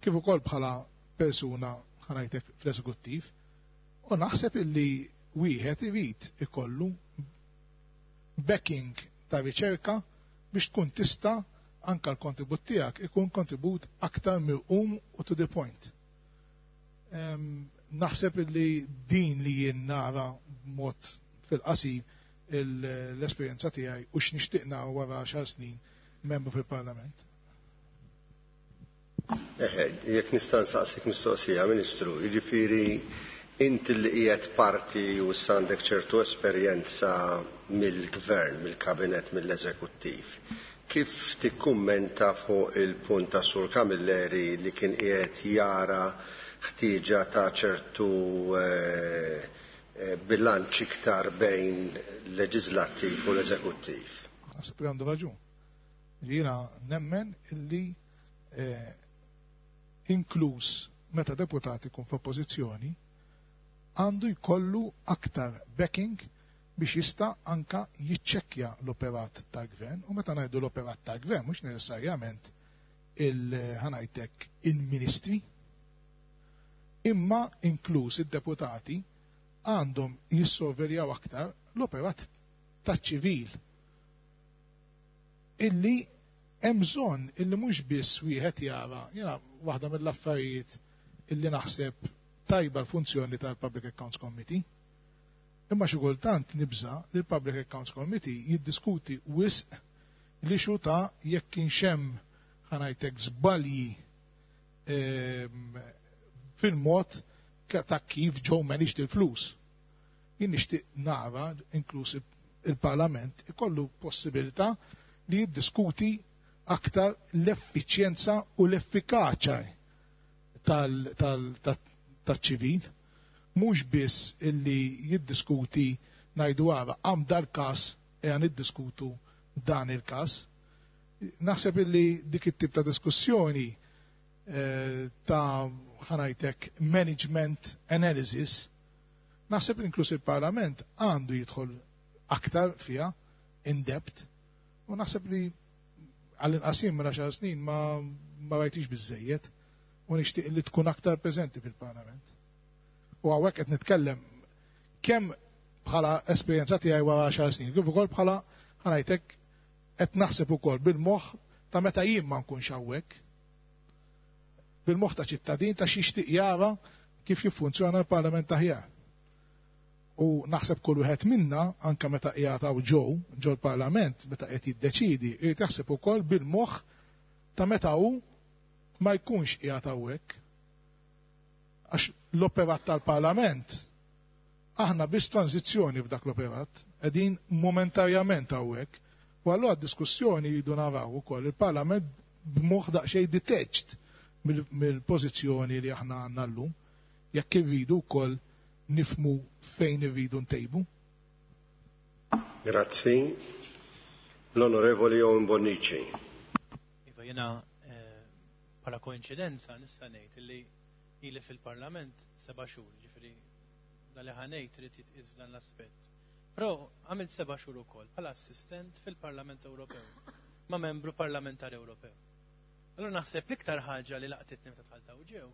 kif ukoll bħala persuna, ħa ngħidlek, fl-eżekuttiv, u naħseb illi wieħed irid ikollu backing ta' riċerka biex tkun tista' anka l-kontribut tiegħek ikun kontribut aktar mirqum u to the point. Naħseb illi din li jien nara mod fil-qasir l-esperjenza tiegħi u x'nixtieq nara wara għaxar snin membru fil-Parlament. Eħe, jekk nista' nsaqsik mistoqsija, Ministru, jiġifieri inti li qiegħed parti u għandek ċertu esperjenza mill-gvern, mill-kabinet, mill-eżekuttiv. Kif tikkummenta fuq il-punt ta' Sur Camilleri li kien qiegħed jara ħtieġa ta' ċertu eh, eh, bilanċ iktar bejn leġislattiv u l-eżekuttiv? Naħseb li għandu raġun. Jiena nemmen illi eh, inkluż meta deputat ikun f'oppożizzjoni għandu jkollu aktar backing biex jista' anka jiċċekkja l-operat tal-gvern, u meta ngħidu l-operat tal-gvern mhux neċessarjament il-, ħa ngħidlek, il-ministri, imma inkluż id-deputati għandhom jissorveljaw aktar l-operat taċ-ċivil illi Hemm bżonn illi mhux biss wieħed jara, jiena waħda mill-affarijiet illi naħseb tajba l-funzjoni tal-Public Accounts Committee. Imma xi kultant nibża li l-Public Accounts Committee jiddiskuti wisq li xuta jekk kienx hemm, ħa ngħidlek, żbalji ehm, fil-mod ta' kif ġew managed il-flus. Jien nixtieq nara inkluż il-Parlament ikollu possibilità li jiddiskuti aktar l-effiċjenza u l-effikaċja tal-ċivil, mhux biss illi jiddiskuti ngħidu għara għam dal-każ e għan niddiskutu dan il-każ. Naħseb illi dik it-tip ta' diskussjoni eh, ta' ħa ngħidlek management analysis, naħseb inkluż il-Parlament għandu jidħol aktar fiha in depth u naħseb li għall-inqas jien minn għaxar snin ma ma rajtix biżejjed u nixtieq li tkun aktar preżenti fil-Parlament. U hawnhekk qed nitkellem kemm bħala esperjenza tiegħi wara għaxar snin, kif ukoll bħala, ħa ngħidlek, qed naħseb ukoll bil-moħħ ta' meta jien ma nkunx hawnhekk. Bil-moħħ ta' ċittadin ta' xixtieq jara kif jiffunzjona l-Parlament aħjar. U naħseb kull wieħed minna, anke meta qiegħed hawn ġew, ġo l-Parlament, meta qed jiddeċidi, irid jaħseb ukoll bil-moħħ ta' meta hu ma jkunx qiegħed hawnhekk. Għax l-operat tal-Parlament, aħna biss tranzizzjoni f'dak l-operat, qegħdin momentarjament hawnhekk. U allura d-diskussjoni jridu naraw ukoll il-Parlament b'moħħ daqsxejn detached mill-pożizzjoni li aħna għandna llum, jekk irridu wkoll nifmu fejn irridu ntejbu. Grazzi. L-Onorevoli Owen Bonnici. Iva, jena bħala koinċidenza nista' ngħid li ili fil-Parlament seba' xhur, ġifieri dal li ħa ngħid irid jitqies f'dan l-aspett. Però għamilt seba' xhur ukoll bħala assistent fil-Parlament Ewropew ma' membru parlamentari Ewropew. Allura naħseb l-iktar ħaġa li laqtitni meta dħalt hawn ġew,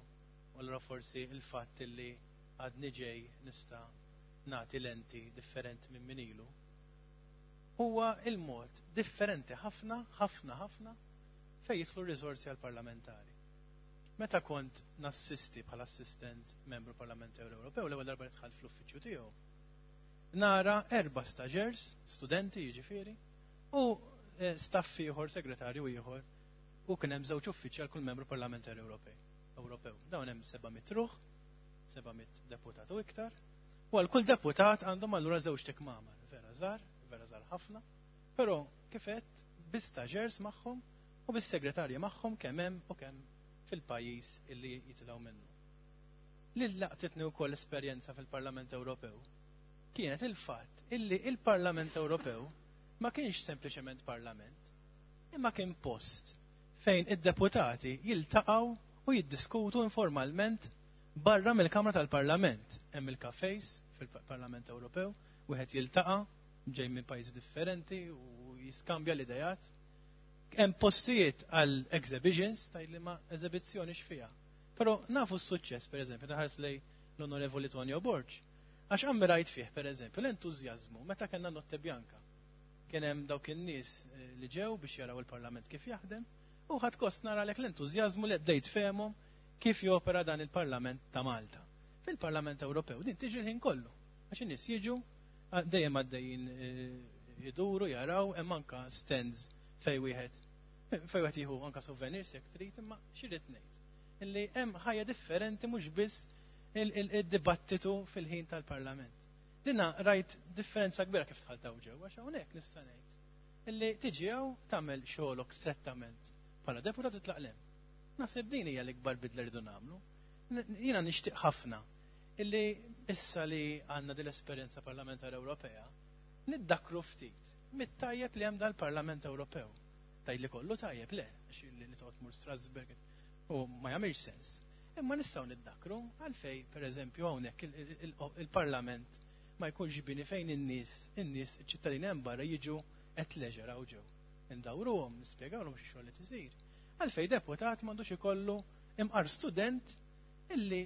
u allura forsi il-fatt li għadni ġej nista' nagħti lenti differenti minn min ilu, huwa il-mod differenti ħafna, ħafna, ħafna fejn jidħlu riżorsi għal-parlamentari. Meta kont nassisti bħala assistent membru parlamentari Ewropew, l-ewwel darba li dħalt fl-uffiċċju tiegħu, nara erba' staġers, studenti jiġifieri, u eh, staff ieħor, segretarju ieħor, u kien hemm żewġ uffiċċji għal kull membru parlamentari Ewropej. Ewropew. Dawn hemm seba' mitt ruħ, seba' mitt deputat u iktar, u għal kull deputat għandhom allura żewġ tikmamar, vera żgħar, vera żgħar ħafna, però kif għedt bi staġers magħhom u bis-segretarji magħhom kemm hemm u kemm fil-pajjiż illi jitilgħu minnu. Li laqtitni wkoll esperjenza fil-Parlament Ewropew kienet il-fatt illi il-Parlament Ewropew ma kienx sempliċement parlament, imma kien post fejn id-deputati jiltaqgħu u jiddiskutu informalment barra mill-Kamra tal-Parlament. Hemm il-kafejs fil-Parlament Ewropew, wieħed jiltaqa' ġej minn pajjiżi differenti u jiskambja l-idejat. Hemm postijiet għal exhibitions, tgħid li ma eżibizzjoni x'fiha. Però nafu s-suċċess, pereżempju, taħares lej l-Onorevoli Tonio Borg. Għax ammirajt fih, pereżempju, l-entużjażmu meta kellna Notte Bianca. Kien hemm dawk in-nies eh, li ġew biex jaraw il-Parlament kif jaħdem, u ħadt gost nara lek l-entużjażmu li bdejt fehmhom kif jopera dan il-Parlament ta' Malta. Fil-Parlament Ewropew din tiġi l-ħin kollu. Għax in-nies jiġu dejjem għaddejjin eh, iduru, jaraw, hemm anka stands fej wieħed fej wieħed jieħu anka souvenirs jekk trid, imma x'irid ngħid. Illi hemm ħajja differenti mhux biss il-dibattitu fil-ħin tal-Parlament. Dina rajt differenza kbira kif dħalt hawn ġew, għax hawnhekk nista' ngħid illi tiġi hawn tagħmel xogħolok strettament bħala deputat u tlaq lem. Naħseb din hija l-ikbar bidla rridu nagħmlu. Jiena nixtieq ħafna illi issa li għandna din l-esperjenza parlamentari Ewropea niddakru ftit mit-tajjeb li hemm dal-Parlament Ewropew. Tgħid li kollu tajjeb le, għax li toqgħod mur Strasburg u ma jagħmilx sens. Imma nistgħu niddakru għalfej pereżempju hawnhekk il-Parlament ma jkunx bini fejn in-nies, in-nies iċ-ċittadini hemm barra jiġu at leisure hawn ġew. Indawruhom, nispjegawlhom xi xogħol qed isir. Għalfej deputat m'għandux ikollu imqar student illi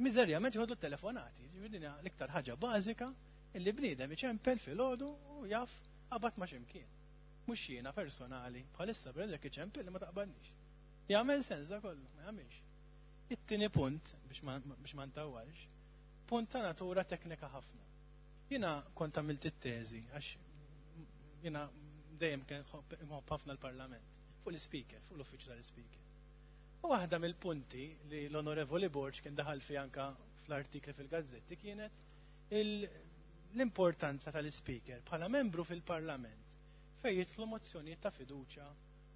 miżerjament jħodlu telefonati. Ġifieri din l-iktar ħaġa bażika illi bniedem iċempel filgħodu u jaf qabad ma' x'imkien. Mhux jiena personali, bħalissa bħalek iċempel li ma taqbalniex. Jagħmel sens da kollu, ma jagħmilx. It-tieni punt, biex ma ntawwalx, punt ta' natura teknika ħafna. Jiena kont għamilt it-teżi, għax jiena dejjem kienet nħobb ħafna l-Parlament, fuq l-Speaker, fuq l-uffiċċju tal-Speaker. U waħda mill-punti li l-Onorevoli Borg kien daħal fi anka fl-artikli fil-gazzetti kienet l-importanza tal-Speaker bħala membru fil-Parlament fejn jidħlu mozzjonijiet ta' fiduċja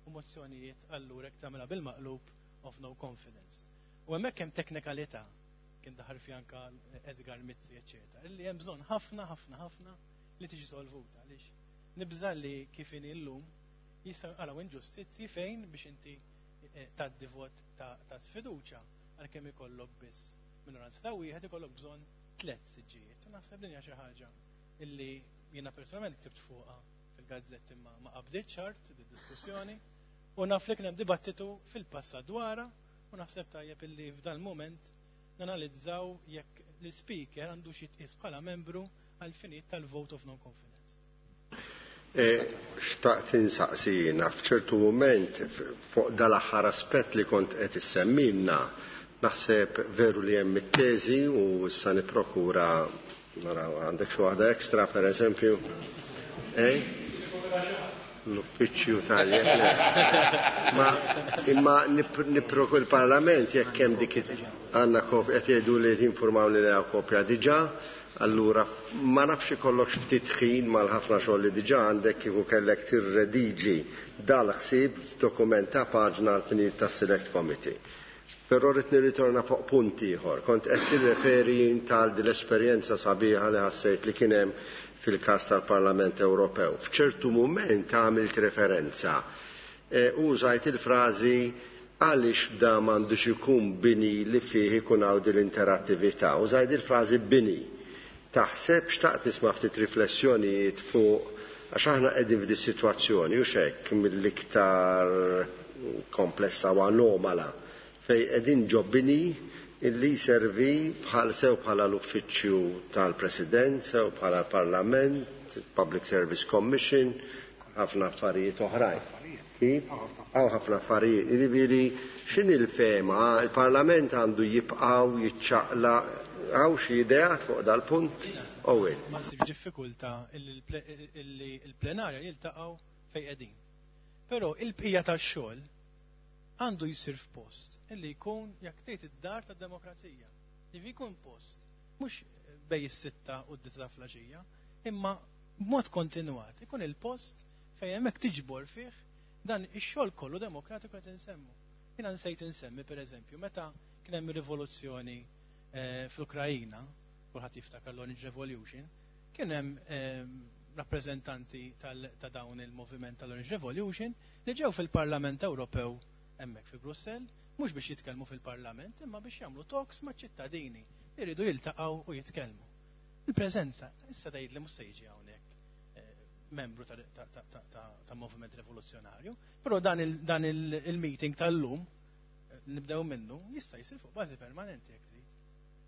u mozzjonijiet allura jekk tagħmilha bil-maqlub of no confidence. U hemmhekk hemm teknikalità kien daħal fi anka Edgar Mizzi, eċċetera, illi hemm bżonn ħafna ħafna ħafna li tiġi solvuta għaliex nibża' li kif inhi llum jistgħu jinqalgħu inġustizzji fejn biex inti tgħaddi vot ta' sfiduċja għalkemm ikollok biss minoranza ta' wieħed ikollok bżonn tliet siġġijiet. Naħseb din hija xi ħaġa illi jiena personalment ktibt fuqha fil-gazzetti ma ma qabditx ċart bid-diskussjoni u naf li kien hemm dibattitu fil-passat dwarha u naħseb tajjeb illi f'dan il-mument nanalizzaw jekk l-speaker għandu xi jitqies bħala membru għal finijiet tal-vote of no confidence. Xtaqt insaqsi jiena f'ċertu mument fuq dal-aħħar aspett li kont qed issemmilna, naħseb veru li hemm it-teżi u issa nipprokura naraw għandek xi waħda ekstra pereżempju. Eh? L-uffiċċju tajjeb. Ma imma nipproku il-Parlament jekk hemm dik għandna kopja qed jgħidu li jinformawni li hawn kopja diġà, allura ma nafx ikollok ftit ħin mal-ħafna xogħol li diġà għandek kieku kellek tirrediġi dal-ħsieb f'dokument ta' paġna għal-finijiet tas-Select Committee. Però rrid nirritorna fuq punt ieħor. Kont qed tirreferi tal din l-esperjenza sabiħa li ħassejt li kien hemm fil-każ tal-Parlament Ewropew. F'ċertu mument għamilt referenza u użajt il-frażi għaliex da m'għandux ikun bini li fih ikun hawn din l-interattività. Użajt il-frażi bini. Taħseb xtaqt nisma' ftit riflessjonijiet fuq għax aħna qegħdin f'di sitwazzjoni u x'hekk mill-iktar komplessa u anomala fejn qegħdin ġo bini illi servi bħal sew bħala l-uffiċċju tal-President, sew bħala l-Parlament, Public Service Commission, ħafna affarijiet oħrajn. Kif? Hawn ħafna affarijiet. Jiġifieri x'inhi l-fema? Il-Parlament għandu jibqgħu jiċċaqla hawn xi ideat fuq dal-punt? Owen. Ma nsibx diffikultà illi l-plenarja jiltaqgħu fejn qegħdin. Però il-bqija tax-xogħol għandu jisir f'post illi jkun jekk tgħid id-dar tad-demokrazija. Jiġifieri jkun post mhux bej is-sitta u d-disgħa filgħaxija, imma b'mod kontinwat ikun il-post fejn hemmhekk tiġbor fih dan ix-xogħol kollu demokratiku qed insemmu. Jiena nsejt insemmi pereżempju meta kien hemm rivoluzzjoni fl-Ukrajina, kulħadd jiftakar l-Orange Revolution, kien hemm rappreżentanti ta' dawn il-moviment tal-Orange Revolution li ġew fil-Parlament Ewropew hemmhekk fi Brussell, mhux biex jitkellmu fil-Parlament, imma biex jagħmlu talks maċ-ċittadini li jridu jiltaqgħu u jitkellmu. Il-preżenza, issa tgħid li mhux se jiġi hawnhekk membru ta' moviment rivoluzzjonarju, però dan il-meeting tal-lum nibdew minnu jista' jsir fuq bażi permanenti jekk trid.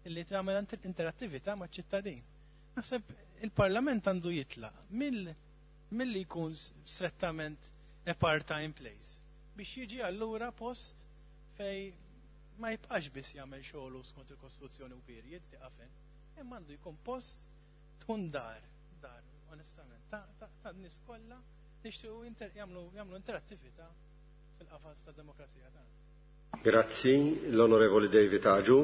Illi tagħmel interattività maċ-ċittadin. Naħseb il-Parlament għandu jitlaq milli jkun strettament a part-time place biex jiġi allura post fej ma jibqax biss jagħmel xogħlu skont il-Kostituzzjoni u period tieqaf hemm, imma għandu jkun post tkun dar, dar, onestament, ta' nies kollha nixtiequ jagħmlu interattività fil-qafas tad-demokrazija tagħna. Grazzi, l-Onorevoli David Aġu.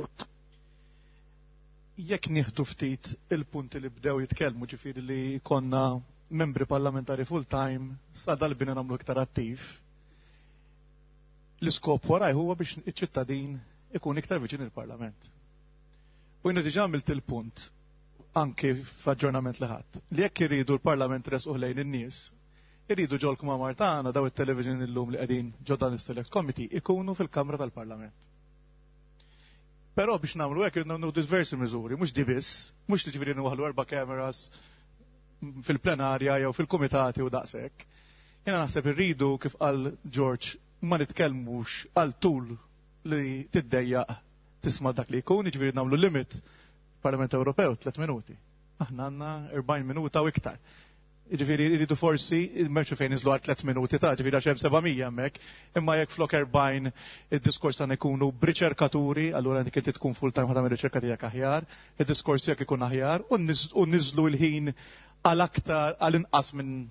Jekk nieħdu ftit il-punti li bdew jitkellmu, ġifieri li konna membri parlamentari full-time, sa dal-bini nagħmlu iktar attiv, l-iskop waraj huwa biex iċ-ċittadin ikun iktar viċin il-Parlament. U jiena diġà għamilt il-punt anke f'aġġornament li ħadd li jekk iridu l-Parlament resquh lejn in-nies, iridu ġol-kmamar tagħna daw it-television illum li qegħdin ġo dan is-Select Committee ikunu fil-Kamra tal-Parlament. Però biex nagħmlu hekk irridu nagħmlu diversi miżuri, mhux di biss, mhux li ġifieri nwaħħlu erba' cameras fil-plenarja jew fil-kumitati u daqshekk. Jiena naħseb irridu kif qal George ma nitkellmux għal tul li tiddejjaq tisma' dak li jkun, jiġifieri nagħmlu limit Parlament Ewropew tliet minuti. Aħna għandna erbgħin minuta u iktar. Jiġifieri jridu forsi m'hemmx fejn niżlu għal tliet minuti ta' ġifieri għax hemm seba' mija hemmhekk, imma jekk flok erbgħin id-diskors tagħna jkunu b'riċerkaturi, allura dik inti tkun full time ħa tagħmel riċerka tiegħek aħjar, id-diskors tiegħek ikun aħjar u niżlu l-ħin għal aktar għal inqas minn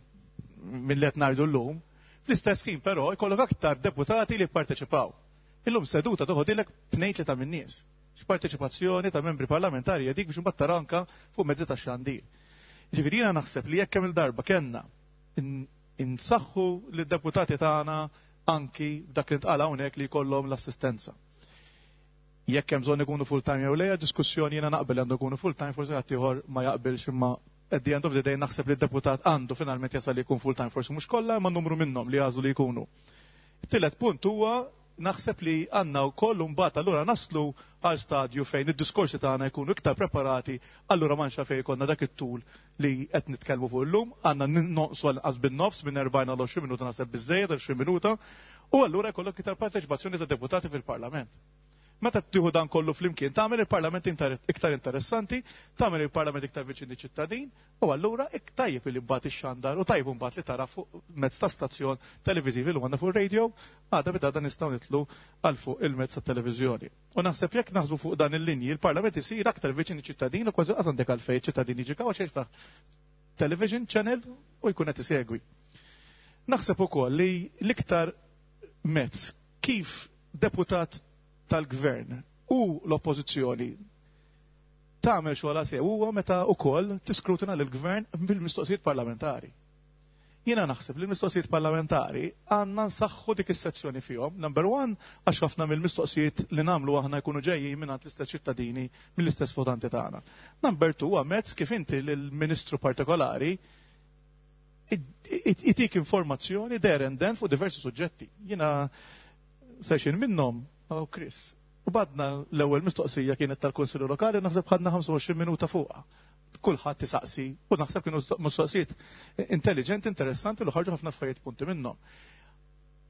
minn li qed ngħidu llum. Fl-istess ħin però jkollok aktar deputati li jipparteċipaw. Illum seduta toħodilek tnejn tlieta min-nies. X'parteċipazzjoni ta' membri parlamentari hija dik biex imbagħad tara anke fuq mezzi tax-xandir. Ġifieri jiena naħseb li jekk kemm il-darba kellna insaħħu lid-deputati tagħna anki b'dak li ntqal hawnhekk li jkollhom l-assistenza. Jekk hemm bżonn ikunu full time jew le, diskussjoni jiena naqbel għandu jkunu full time, forsi ħadd ieħor ma jaqbilx, imma at the end of the day naħseb li d-deputat għandu finalment jasal li jkun full time, forsi mhux kollha, imma numru minnhom li jagħżlu li jkunu. It-tielet punt huwa naħseb li għandna wkoll imbagħad allura naslu għal stadju fejn id-diskorsi tagħna jkunu iktar preparati, allura m'għandx fejn ikollna dak it-tul li qed nitkellmu fuq illum, għandna nonqsu għal inqas bin-nofs minn erbgħin għal għoxrin minuta naħseb biżżejjed għoxrin minuta, u allura jkollok iktar parteċipazzjoni ta' deputati fil-Parlament. Meta tieħu dan kollu flimkien, tagħmel il-Parlament iktar interessanti, tagħmel il-Parlament iktar viċin iċ-ċittadin, u allura tajjeb li mbagħad ixxandar u tajjeb mbagħad li tara fuq mezz ta' stazzjon televiżivi li għandna fuq radio, għadha bida dan nistgħu nitlu għal fuq il-mezz ta' televiżjoni. U naħseb jekk naħsbu fuq dan il-linji, il-Parlament isir aktar viċin iċ-ċittadin u kważi qas għandek għalfejn iċ-ċittadin jiġi kaw għax jiftaħ television channel u jkun qed isegwi. Naħseb ukoll li l-iktar mezz kif deputat tal-gvern u l-oppożizzjoni tagħmel xogħol sew huwa meta wkoll tiskrutina lill-gvern bil-mistoqsijiet parlamentari. Jiena naħseb li l-mistoqsijiet parlamentari għandna nsaħħu dik is-sezzjoni fihom. Number one, għax ħafna mill-mistoqsijiet li nagħmlu aħna jkunu ġejjin mingħand l-istess ċittadini mill-istess votanti tagħna. Number two, huwa mezz kif inti lill-ministru partikolari itik informazzjoni there and then fuq diversi suġġetti. Jiena session minnhom, oh Chris, u badna l-ewwel mistoqsija kienet tal-Kunsillu Lokali, naħseb ħadna ħamsa u għoxrin minuta fuqha. Kulħadd tisaqsi u naħseb kienu mistoqsijiet intelligenti, interessanti li ħarġu ħafna affarijiet punti minnhom.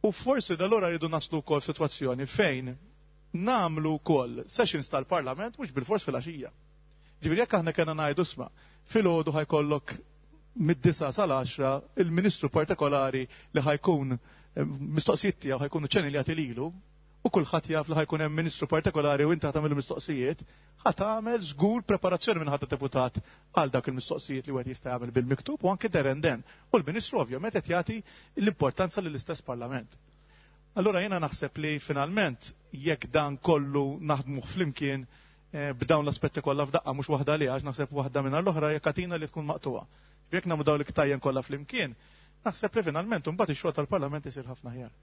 U forsi dalora rridu naslu wkoll sitwazzjoni fejn nagħmlu wkoll sessions tal-Parlament mhux bilfors fil-għaxija. Ġifieri jekk aħna kellna ngħidu isma' filgħodu ħajkollok mid-disa sal-għaxra il-ministru partikolari li ħajkun mistoqsijiet tiegħu ħajkunu ċenili lilu, u kulħadd jaf li ħajkun hemm ministru partikolari u inti ħa tagħmel mistoqsijiet, ħa tagħmel żgur preparazzjoni minn ħadd deputat għal dak il-mistoqsijiet li wieħed jista' jagħmel bil-miktub u anke there and then. U l-ministru ovvjament qed jagħti l-importanza lill-istess Parlament. Allura jiena naħseb li finalment jekk dan kollu naħdmu flimkien b'dawn l-aspetti kollha f'daqqa mhux waħda li għax naħseb waħda minn l-oħra jekk katina li tkun maqtuha. Jekk nagħmlu dawn l-iktajjen kollha flimkien, naħseb li finalment imbagħad ix-xogħol tal-Parlament isir ħafna aħjar.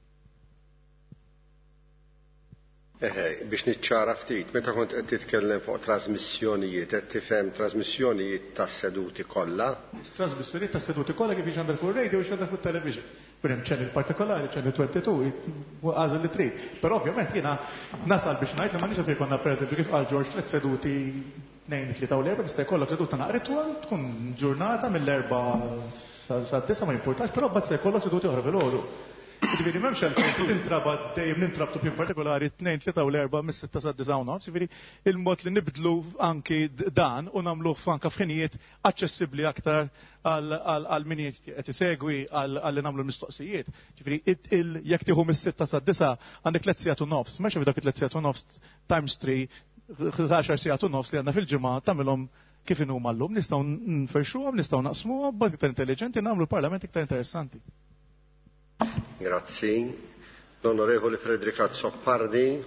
Eħe, biex niċċara ftit, meta kont qed titkellem fuq trasmissjonijiet, qed tifhem trasmissjonijiet tas-seduti kollha? Trasmissjonijiet tas-seduti kollha kif jixandar fuq radio u jixandar fuq television. Per hemm channel partikolari, channel twenty-two, għażel li trid. Però ovvjament jiena nasal biex ngħid li m'għandniex għalfejn konna pereżempju kif qal George tliet seduti tnejn, tlieta u l-erba', jista' jkollok seduta naqra twal, tkun ġurnata mill-erba' sad-disa' ma jimpurtax, però mbagħad se jkollok seduti oħra filgħodu. Ġifieri m'hemmx għalfejn tintrabat dejjem nintrabtu b'jum partikolari tnejn, tlieta u l-erba' mis-sitta sad-disa' u nofs, ġifieri il-mod li nibdlu anki dan u nagħmluh anke f'ħinijiet aċċessibbli aktar għal min qed isegwi għal li nagħmlu l-mistoqsijiet. Ġifieri jekk tieħu mis-sitta sad-disa' għandek tliet sigħat u nofs, m'hemmx dak it-tliet sigħat u nofs times three, għaxar sigħat u nofs li għandna fil-ġimgħa tagħmilhom kif inhuma llum, nistgħu nferxuhom, nistgħu naqsmuhom, b'mod iktar intelligenti nagħmlu l-Parlament iktar interessanti. Grazzi. L-Onorevoli Frederick Azzopardi.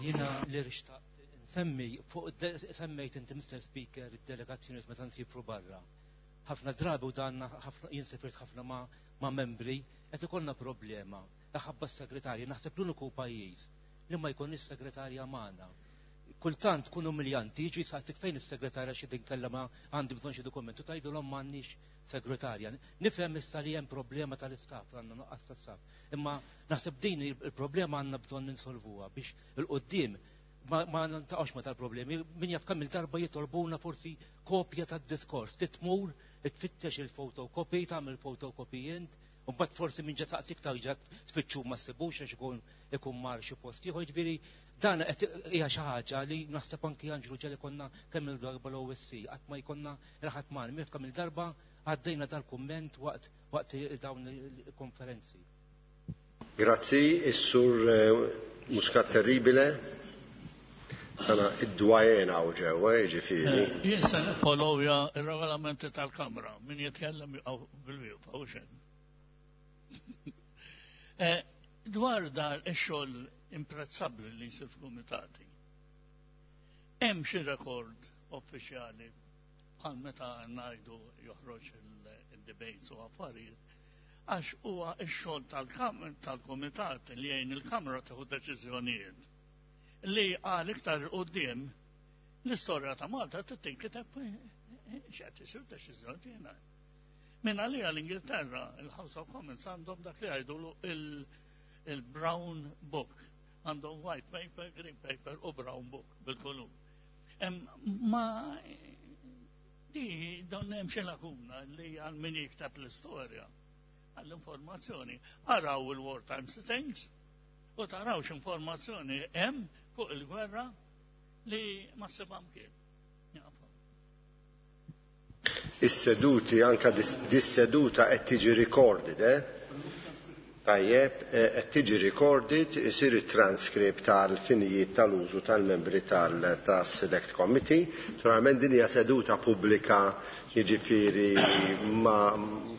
Jiena li rixtaqt nsemmi fuq semmejt inti Mister Speaker id-delegazzjoni meta nsifru barra. Ħafna drabi u danna ħafna jien sifirt ħafna ma, ma' membri qed ikollna problema. Ħabba s-segretarja, naħseb l-uniku pajjiż li ma jkunx segretarja magħna. Kultant tkun umiljanti, jiġi saqsik fejn is-segretarja xi tinkella ma għandi bżonn xi dokumentu, tgħidulhom m'għandniex segretarja. Nifhem issa li hemm problema tal-istaff, għandna nuqqas ta' staff. Imma naħseb din il-problema għandna bżonn ninsolvuha biex il-qudiem ma, ma niltaqgħux ma tal-problemi. Min jaf kemm il-darba jitolbuna forsi kopja tad-diskors, titmur, tfittex il-photocopy, tagħmel photocopy int, u mbagħad forsi minn ġa saqsik ta' ġa tfittxu ma ssibux għax ikun ikun mar xi post ieħor, jiġifieri dan qed hija xi ħaġa li naħseb anki Anġlu ġeli konna kemm il-darba l-O S C, qatt ma jkollna il-ħadd magħna, min kemm il-darba għaddejna dal-kumment waqt waqt dawn il-konferenzi. Grazzi, is-sur Muscat Terribile. Għana id-dwajena u ġewwa, jiġifieri. Jien se niffollowja r-regolamenti tal-Kamra, min jitkellem bil-wieqfa u xejn. Dwar dar ix-xogħol imprezzabbli li jsir f'kumitati. Hemm xi rekord uffiċjali bħal meta ngħidu joħroġ il-debates u affarijiet, għax huwa x-xogħol tal-kumitat li jgħin il-Kamra tieħu deċiżjonijiet li għal iktar quddiem l-istorja ta' Malta tinkiteb x'qed isir deċiżjoni jiena. Min għalija l-Ingilterra, il-House of Commons għandhom dak li jgħidulu il-Brown Book. Għandhom white paper, green paper u brown book bil-kolum. Ma di don hemm xi lakuna li għal min jikteb l-istorja għall-informazzjoni. Araw il-wartime sittings u tarawx informazzjoni hemm fuq il-gwerra li ma ssibha mkien. Is-seduti, anka dis-seduta qed tiġi recorded, eh? Tajjeb, qed tiġi recorded, isir it-transcript tal-finijiet tal-użu tal-membri tas-Select Committee. Naturalment din hija seduta pubblika, jiġifieri ma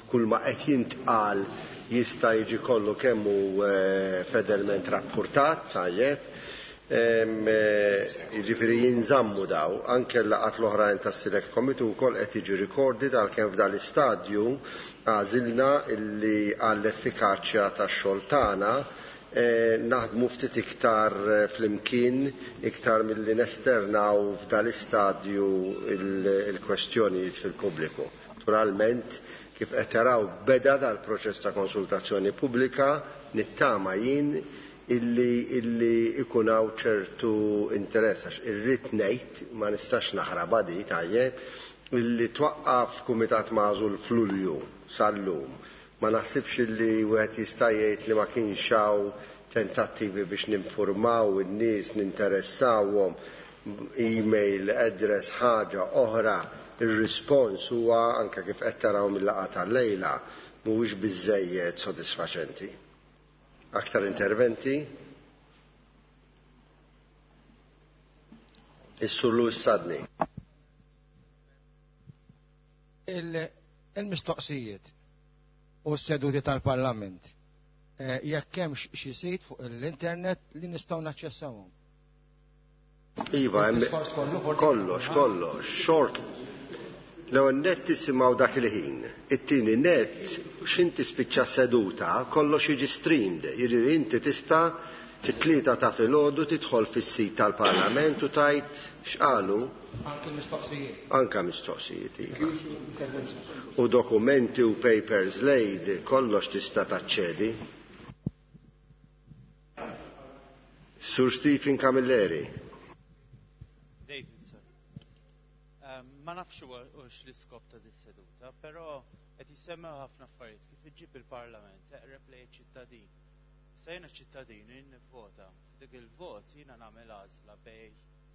kull ma qed jintqal jista' jiġi kollu kemm hu fedelment rappurtat, tajjeb. Jiġifieri jinżammu daw, anke l-laqgħat l-oħrajn tas-Select Committee wkoll qed jiġi recorded għalkemm f'dan l-istadju għażilna illi għall-effikaċja tax-xogħol tagħna naħdmu ftit iktar flimkien iktar milli nesternaw f'dan l-istadju il-kwestjonijiet fil-pubbliku. Naturalment, kif qed taraw beda dal-proċess ta' konsultazzjoni pubblika, nittama jien illi illi ikun hawn ċertu interess, għax irrid ngħid ma nistax naħrabha di tajjeb illi twaqqaf kumitat magħżul f'Lulju sal-lum. Ma naħsibx illi wieħed jista' jgħid li ma kienx hawn tentattivi biex ninformaw in-nies, ninteressawhom, email, address, ħaġa oħra. Ir-rispons huwa anke kif qed taraw mill-laqgħa tal-lejla mhuwiex biżżejjed sodisfaċenti. Aktar interventi? Is-Sur Louis Sadni. Il-mistoqsijiet u s-seduti tal-Parlament jekk hemm xi sit fuq l-internet li nistgħu naċċessawhom. Iva, kollox, kollox, short. L-ewwel net tisimgħu dak il-ħin, it-tieni net x'inti spiċċa seduta, kollox jiġi streamed, jiġifieri inti tista' fit-tlieta ta' filgħodu tidħol fis-sit tal-Parlament u tajt x'qalu. Anke mistoqsijiet. Anke mistoqsijiet, iva. U dokumenti u papers laid, kollox tista' taċċedi. Sur Stephen Camilleri. David, sir. Ma nafx hux l-iskop ta' dis-seduta, però qed jissemmew ħafna affarijiet kif iġġib il-Parlament eqreb lejn iċ-ċittadin. Sa jiena ċittadin nivvota, f'dik il-vot jiena nagħmel għażla bej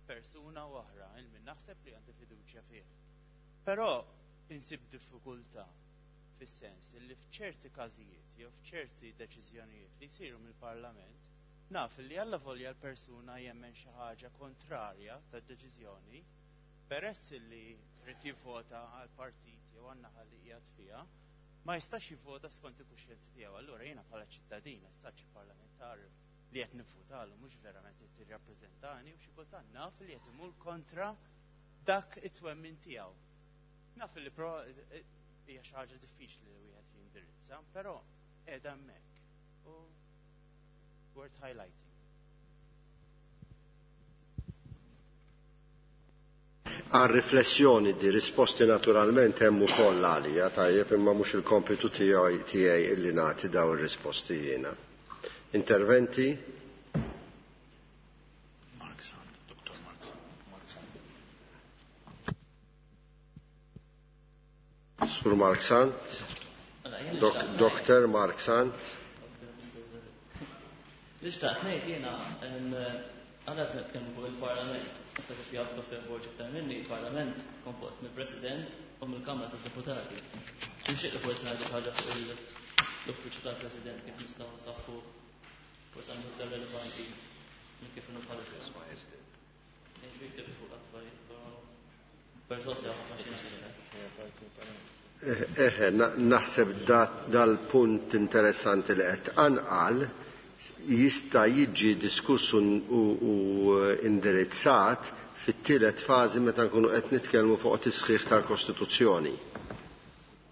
persuna u oħra il min naħseb li għandi fiduċja fih. Però insib diffikultà fis-sens li f'ċerti każijiet jew f'ċerti deċiżjonijiet li jsiru mill-Parlament naf li alla volja l-persuna jemmen xi ħaġa kontrarja tad-deċiżjoni, peress li rrid jivvota għal partit jew għan-naħa li qiegħed fiha, ma jistax jivvota skont il-kuxjenza tiegħu. Allura jiena bħala ċittadin, essaċ parlamentari li qed nivvotalu mhux verament qed jirrappreżentani u xi kultant naf li qed imur kontra dak it-twemmin tiegħu. Naf li pro hija xi ħaġa diffiċli li wieħed jindirizza, però qiegħda hemmhekk u worth highlighting. Għal riflessjoni di risposti naturalment hemm ukoll għalija, tajjeb, imma mhux il-kompitu tiegħi tiegħi illi nagħti daw ir-risposti jiena. Interventi? Mark Sant, Doktor Mark Sant. Sur Mark Sant, Doktor Mark Sant. Li xtaqt ngħid jiena Aħna qed nitkellmu fuq il-Parlament. Issa kif jaf Dottor Borg iktar minni, il-Parlament kompost mill-President u mill-Kamra tad-Deputati. Nixtieq li forsi ngħidu ħaġa fuq l-uffiċċju tal-President kif nistgħu nsaħħuh, forsi għandu iktar relevanti minn kif inhu bħalissa. Ngħix ktibt fuq affarijiet, però perswas li ħafna xi Eħe, naħseb dal-punt interessanti li qed tqanqal jista' jiġi diskuss u indirizzat fit-tielet fażi meta nkunu qed nitkellmu fuq tisħiħ tal-Kostituzzjoni.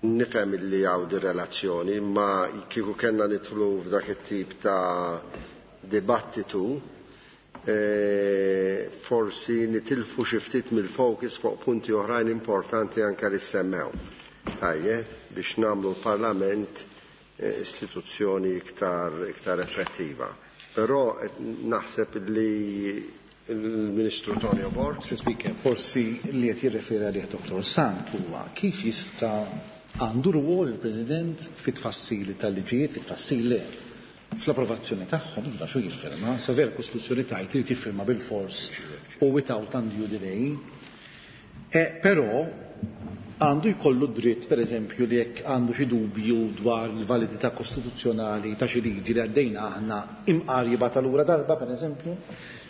Nifhem li hawn di relazzjoni, ma kieku kellna nidħlu f'dak it-tip ta' dibattitu, forsi nitilfu xi ftit mill-focus fuq punti oħrajn importanti anke li semmew. Tajjeb, biex nagħmlu l-Parlament istituzzjoni iktar, iktar effettiva. Però naħseb li il-Ministru Tonio Borg. Mister Speaker, forsi li qed jirreferi għalih Dottor Sant huwa kif jista' għandu rwol il-President fit-tfassili tal-liġijiet, fit-tfassil le, fl-approvazzjoni tagħhom, iva xu jiffirma, sa vera Kostituzzjoni tajt li jiffirma bil-fors u without undue delay. E, però għandu jkollu dritt, per eżempju, li jekk għandu xi dubju dwar il-validità kostituzzjonali ta' xi liġi li għaddejna aħna imqar jibgħatha lura darba, per eżempju,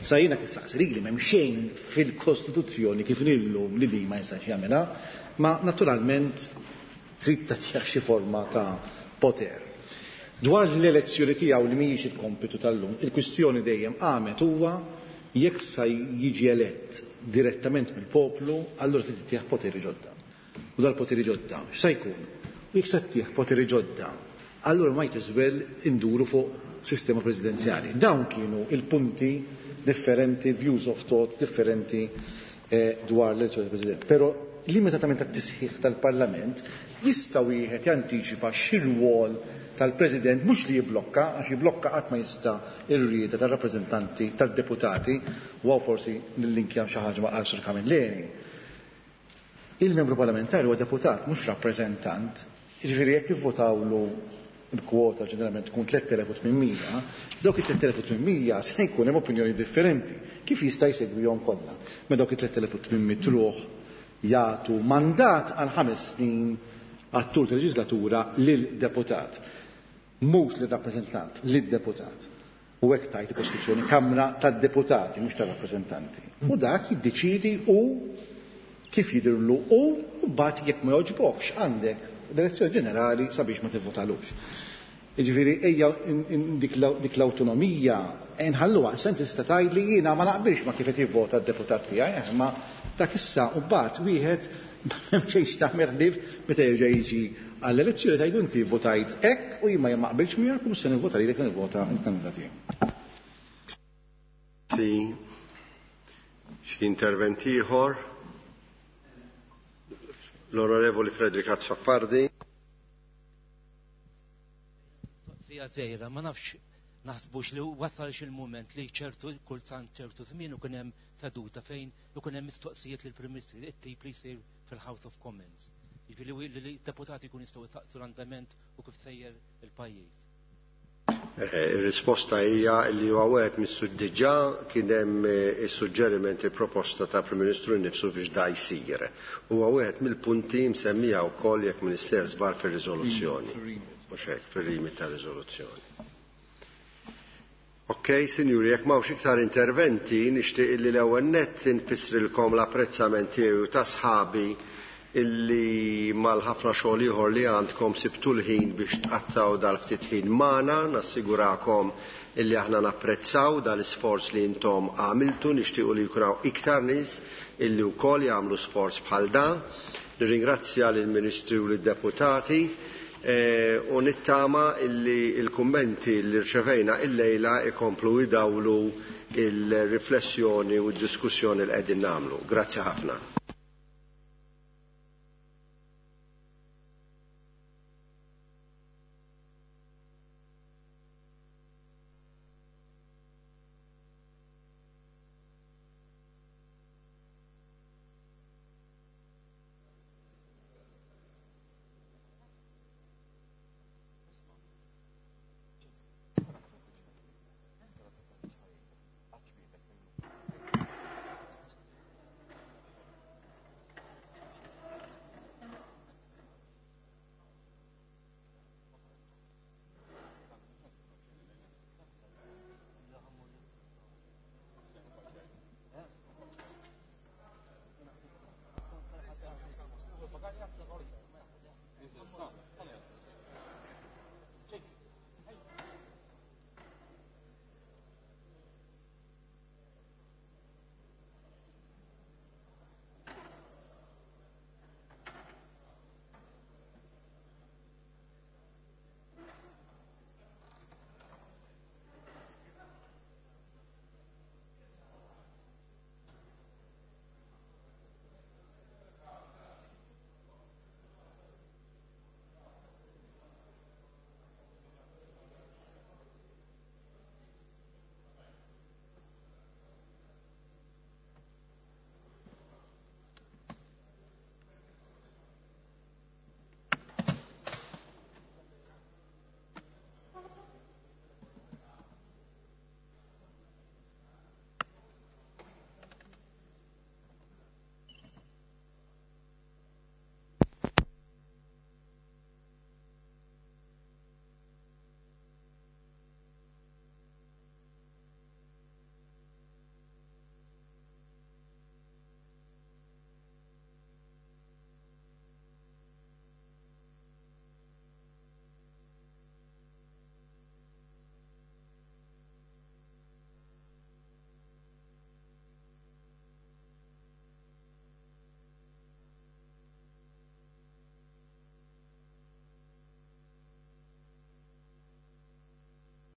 sa jiena kif saqsi li m'hemm xejn fil-Kostituzzjoni kif illum li din ma jistax jagħmilha, ma naturalment trid tagħtih xi forma ta' poter. Dwar l-elezzjoni tiegħu li mhijiex il-kompitu tal-lum, il-kwistjoni dejjem qamet huwa jekk sa jiġi elett direttament mill-poplu, allura trid tittieħ poteri ġodda. U dal-poteri ġodda, x'sa jkun? U jekk se ttieħ poteri ġodda, allura might as well induru fuq sistema presidenzjali. Dawn kienu il-punti differenti, views of thought differenti eh, dwar l-elezzjoni tal-President. Però limitatament tat-tisħiħ tal-Parlament jista' wieħed jantiċipa xi rwol tal-President, mhux li jiblokka, għax jiblokka qatt ma jista' ir-rieda tar-rappreżentanti tad-deputati, u hawn forsi nillinkja xi ħaġa ma' Arthur Camilleri. Il-membru parlamentari huwa deputat, mhux rappreżentant. Jiġifieri jekk ivvotawlu il-kwota ġeneralment tkun tliet elef u tmien mija, dawk it-tliet elef u tmien mija se jkun hemm opinjoni differenti. Kif jista' jsegwihom kollha? Ma dawk it-tliet elef u tmien mitt ruħ jagħtu mandat għal ħames snin għat-tul tal-leġislatura lil deputat. Mhux lil rappreżentant, lil deputat. U hekk tajt il-Kostituzzjoni, Kamra tad-Deputati, mhux tar-rappreżentanti. U dak jiddeċidi u kif jidirlu u mbagħad jekk ma jogħġbokx għandek l-elezzjoni ġenerali sabiex ma tivvotalux. Jiġifieri ejja dik l-awtonomija nħalluha, issa tista' tgħid li jiena ma naqbilx ma kif qed jivvota d-deputat tiegħi, eh, ma dak issa u mbagħad wieħed m'hemm xejn tagħmel ħlief meta jerġa' jiġi għall-elezzjoni tgħidu inti votajt hekk u jien ma naqbilx miegħek u se nivvota lilek, nivvota l-kandidat tiegħi. Sì. Xi intervent ieħor? L-Onorevoli Frederick Azzopardi. Sija żgħira, ma nafx naħsbux li wasal il-mument li ċertu kultant ċertu żmien ikun hemm seduta fejn ikun hemm mistoqsijiet lill-Prim Ministru, it-tip li jsir fil-House of Commons. Jiġifieri li d-deputati jkun jistgħu jsaqsu l-andament u kif sejjer il-pajjiż. Il-risposta hija li huwa wieħed mis-diġà kien hemm is-suġġeriment, il-proposta ta' Prim Ministru nnifsu biex da jsir. Huwa wieħed mill-punti msemmija wkoll, jekk m'iniex żball, fir-riżoluzzjoni. Mhux hekk, fir-rimi ta' riżoluzzjoni. Ok, sinjuri, jekk m'hawnx iktar interventi, nixtieq illi l-ewwel nett infissrilkom l-apprezzament tiegħi u ta' sħabi illi mal-ħafna xogħol ieħor li għandkom sibtu l-ħin biex tqattaw dal-ftit ħin magħna. Nassigurakom illi aħna napprezzaw dal-isforz li intom għamiltu, nixtiequ li jkun hawn iktar nies illi wkoll jagħmlu sforz bħal dan. Nirringrazzja lill-Ministri u lid-deputati e, u nittama illi il-kummenti li rċevejna illejla ikomplu idawlu il-riflessjoni u d-diskussjoni li qegħdin nagħmlu. Grazzi ħafna.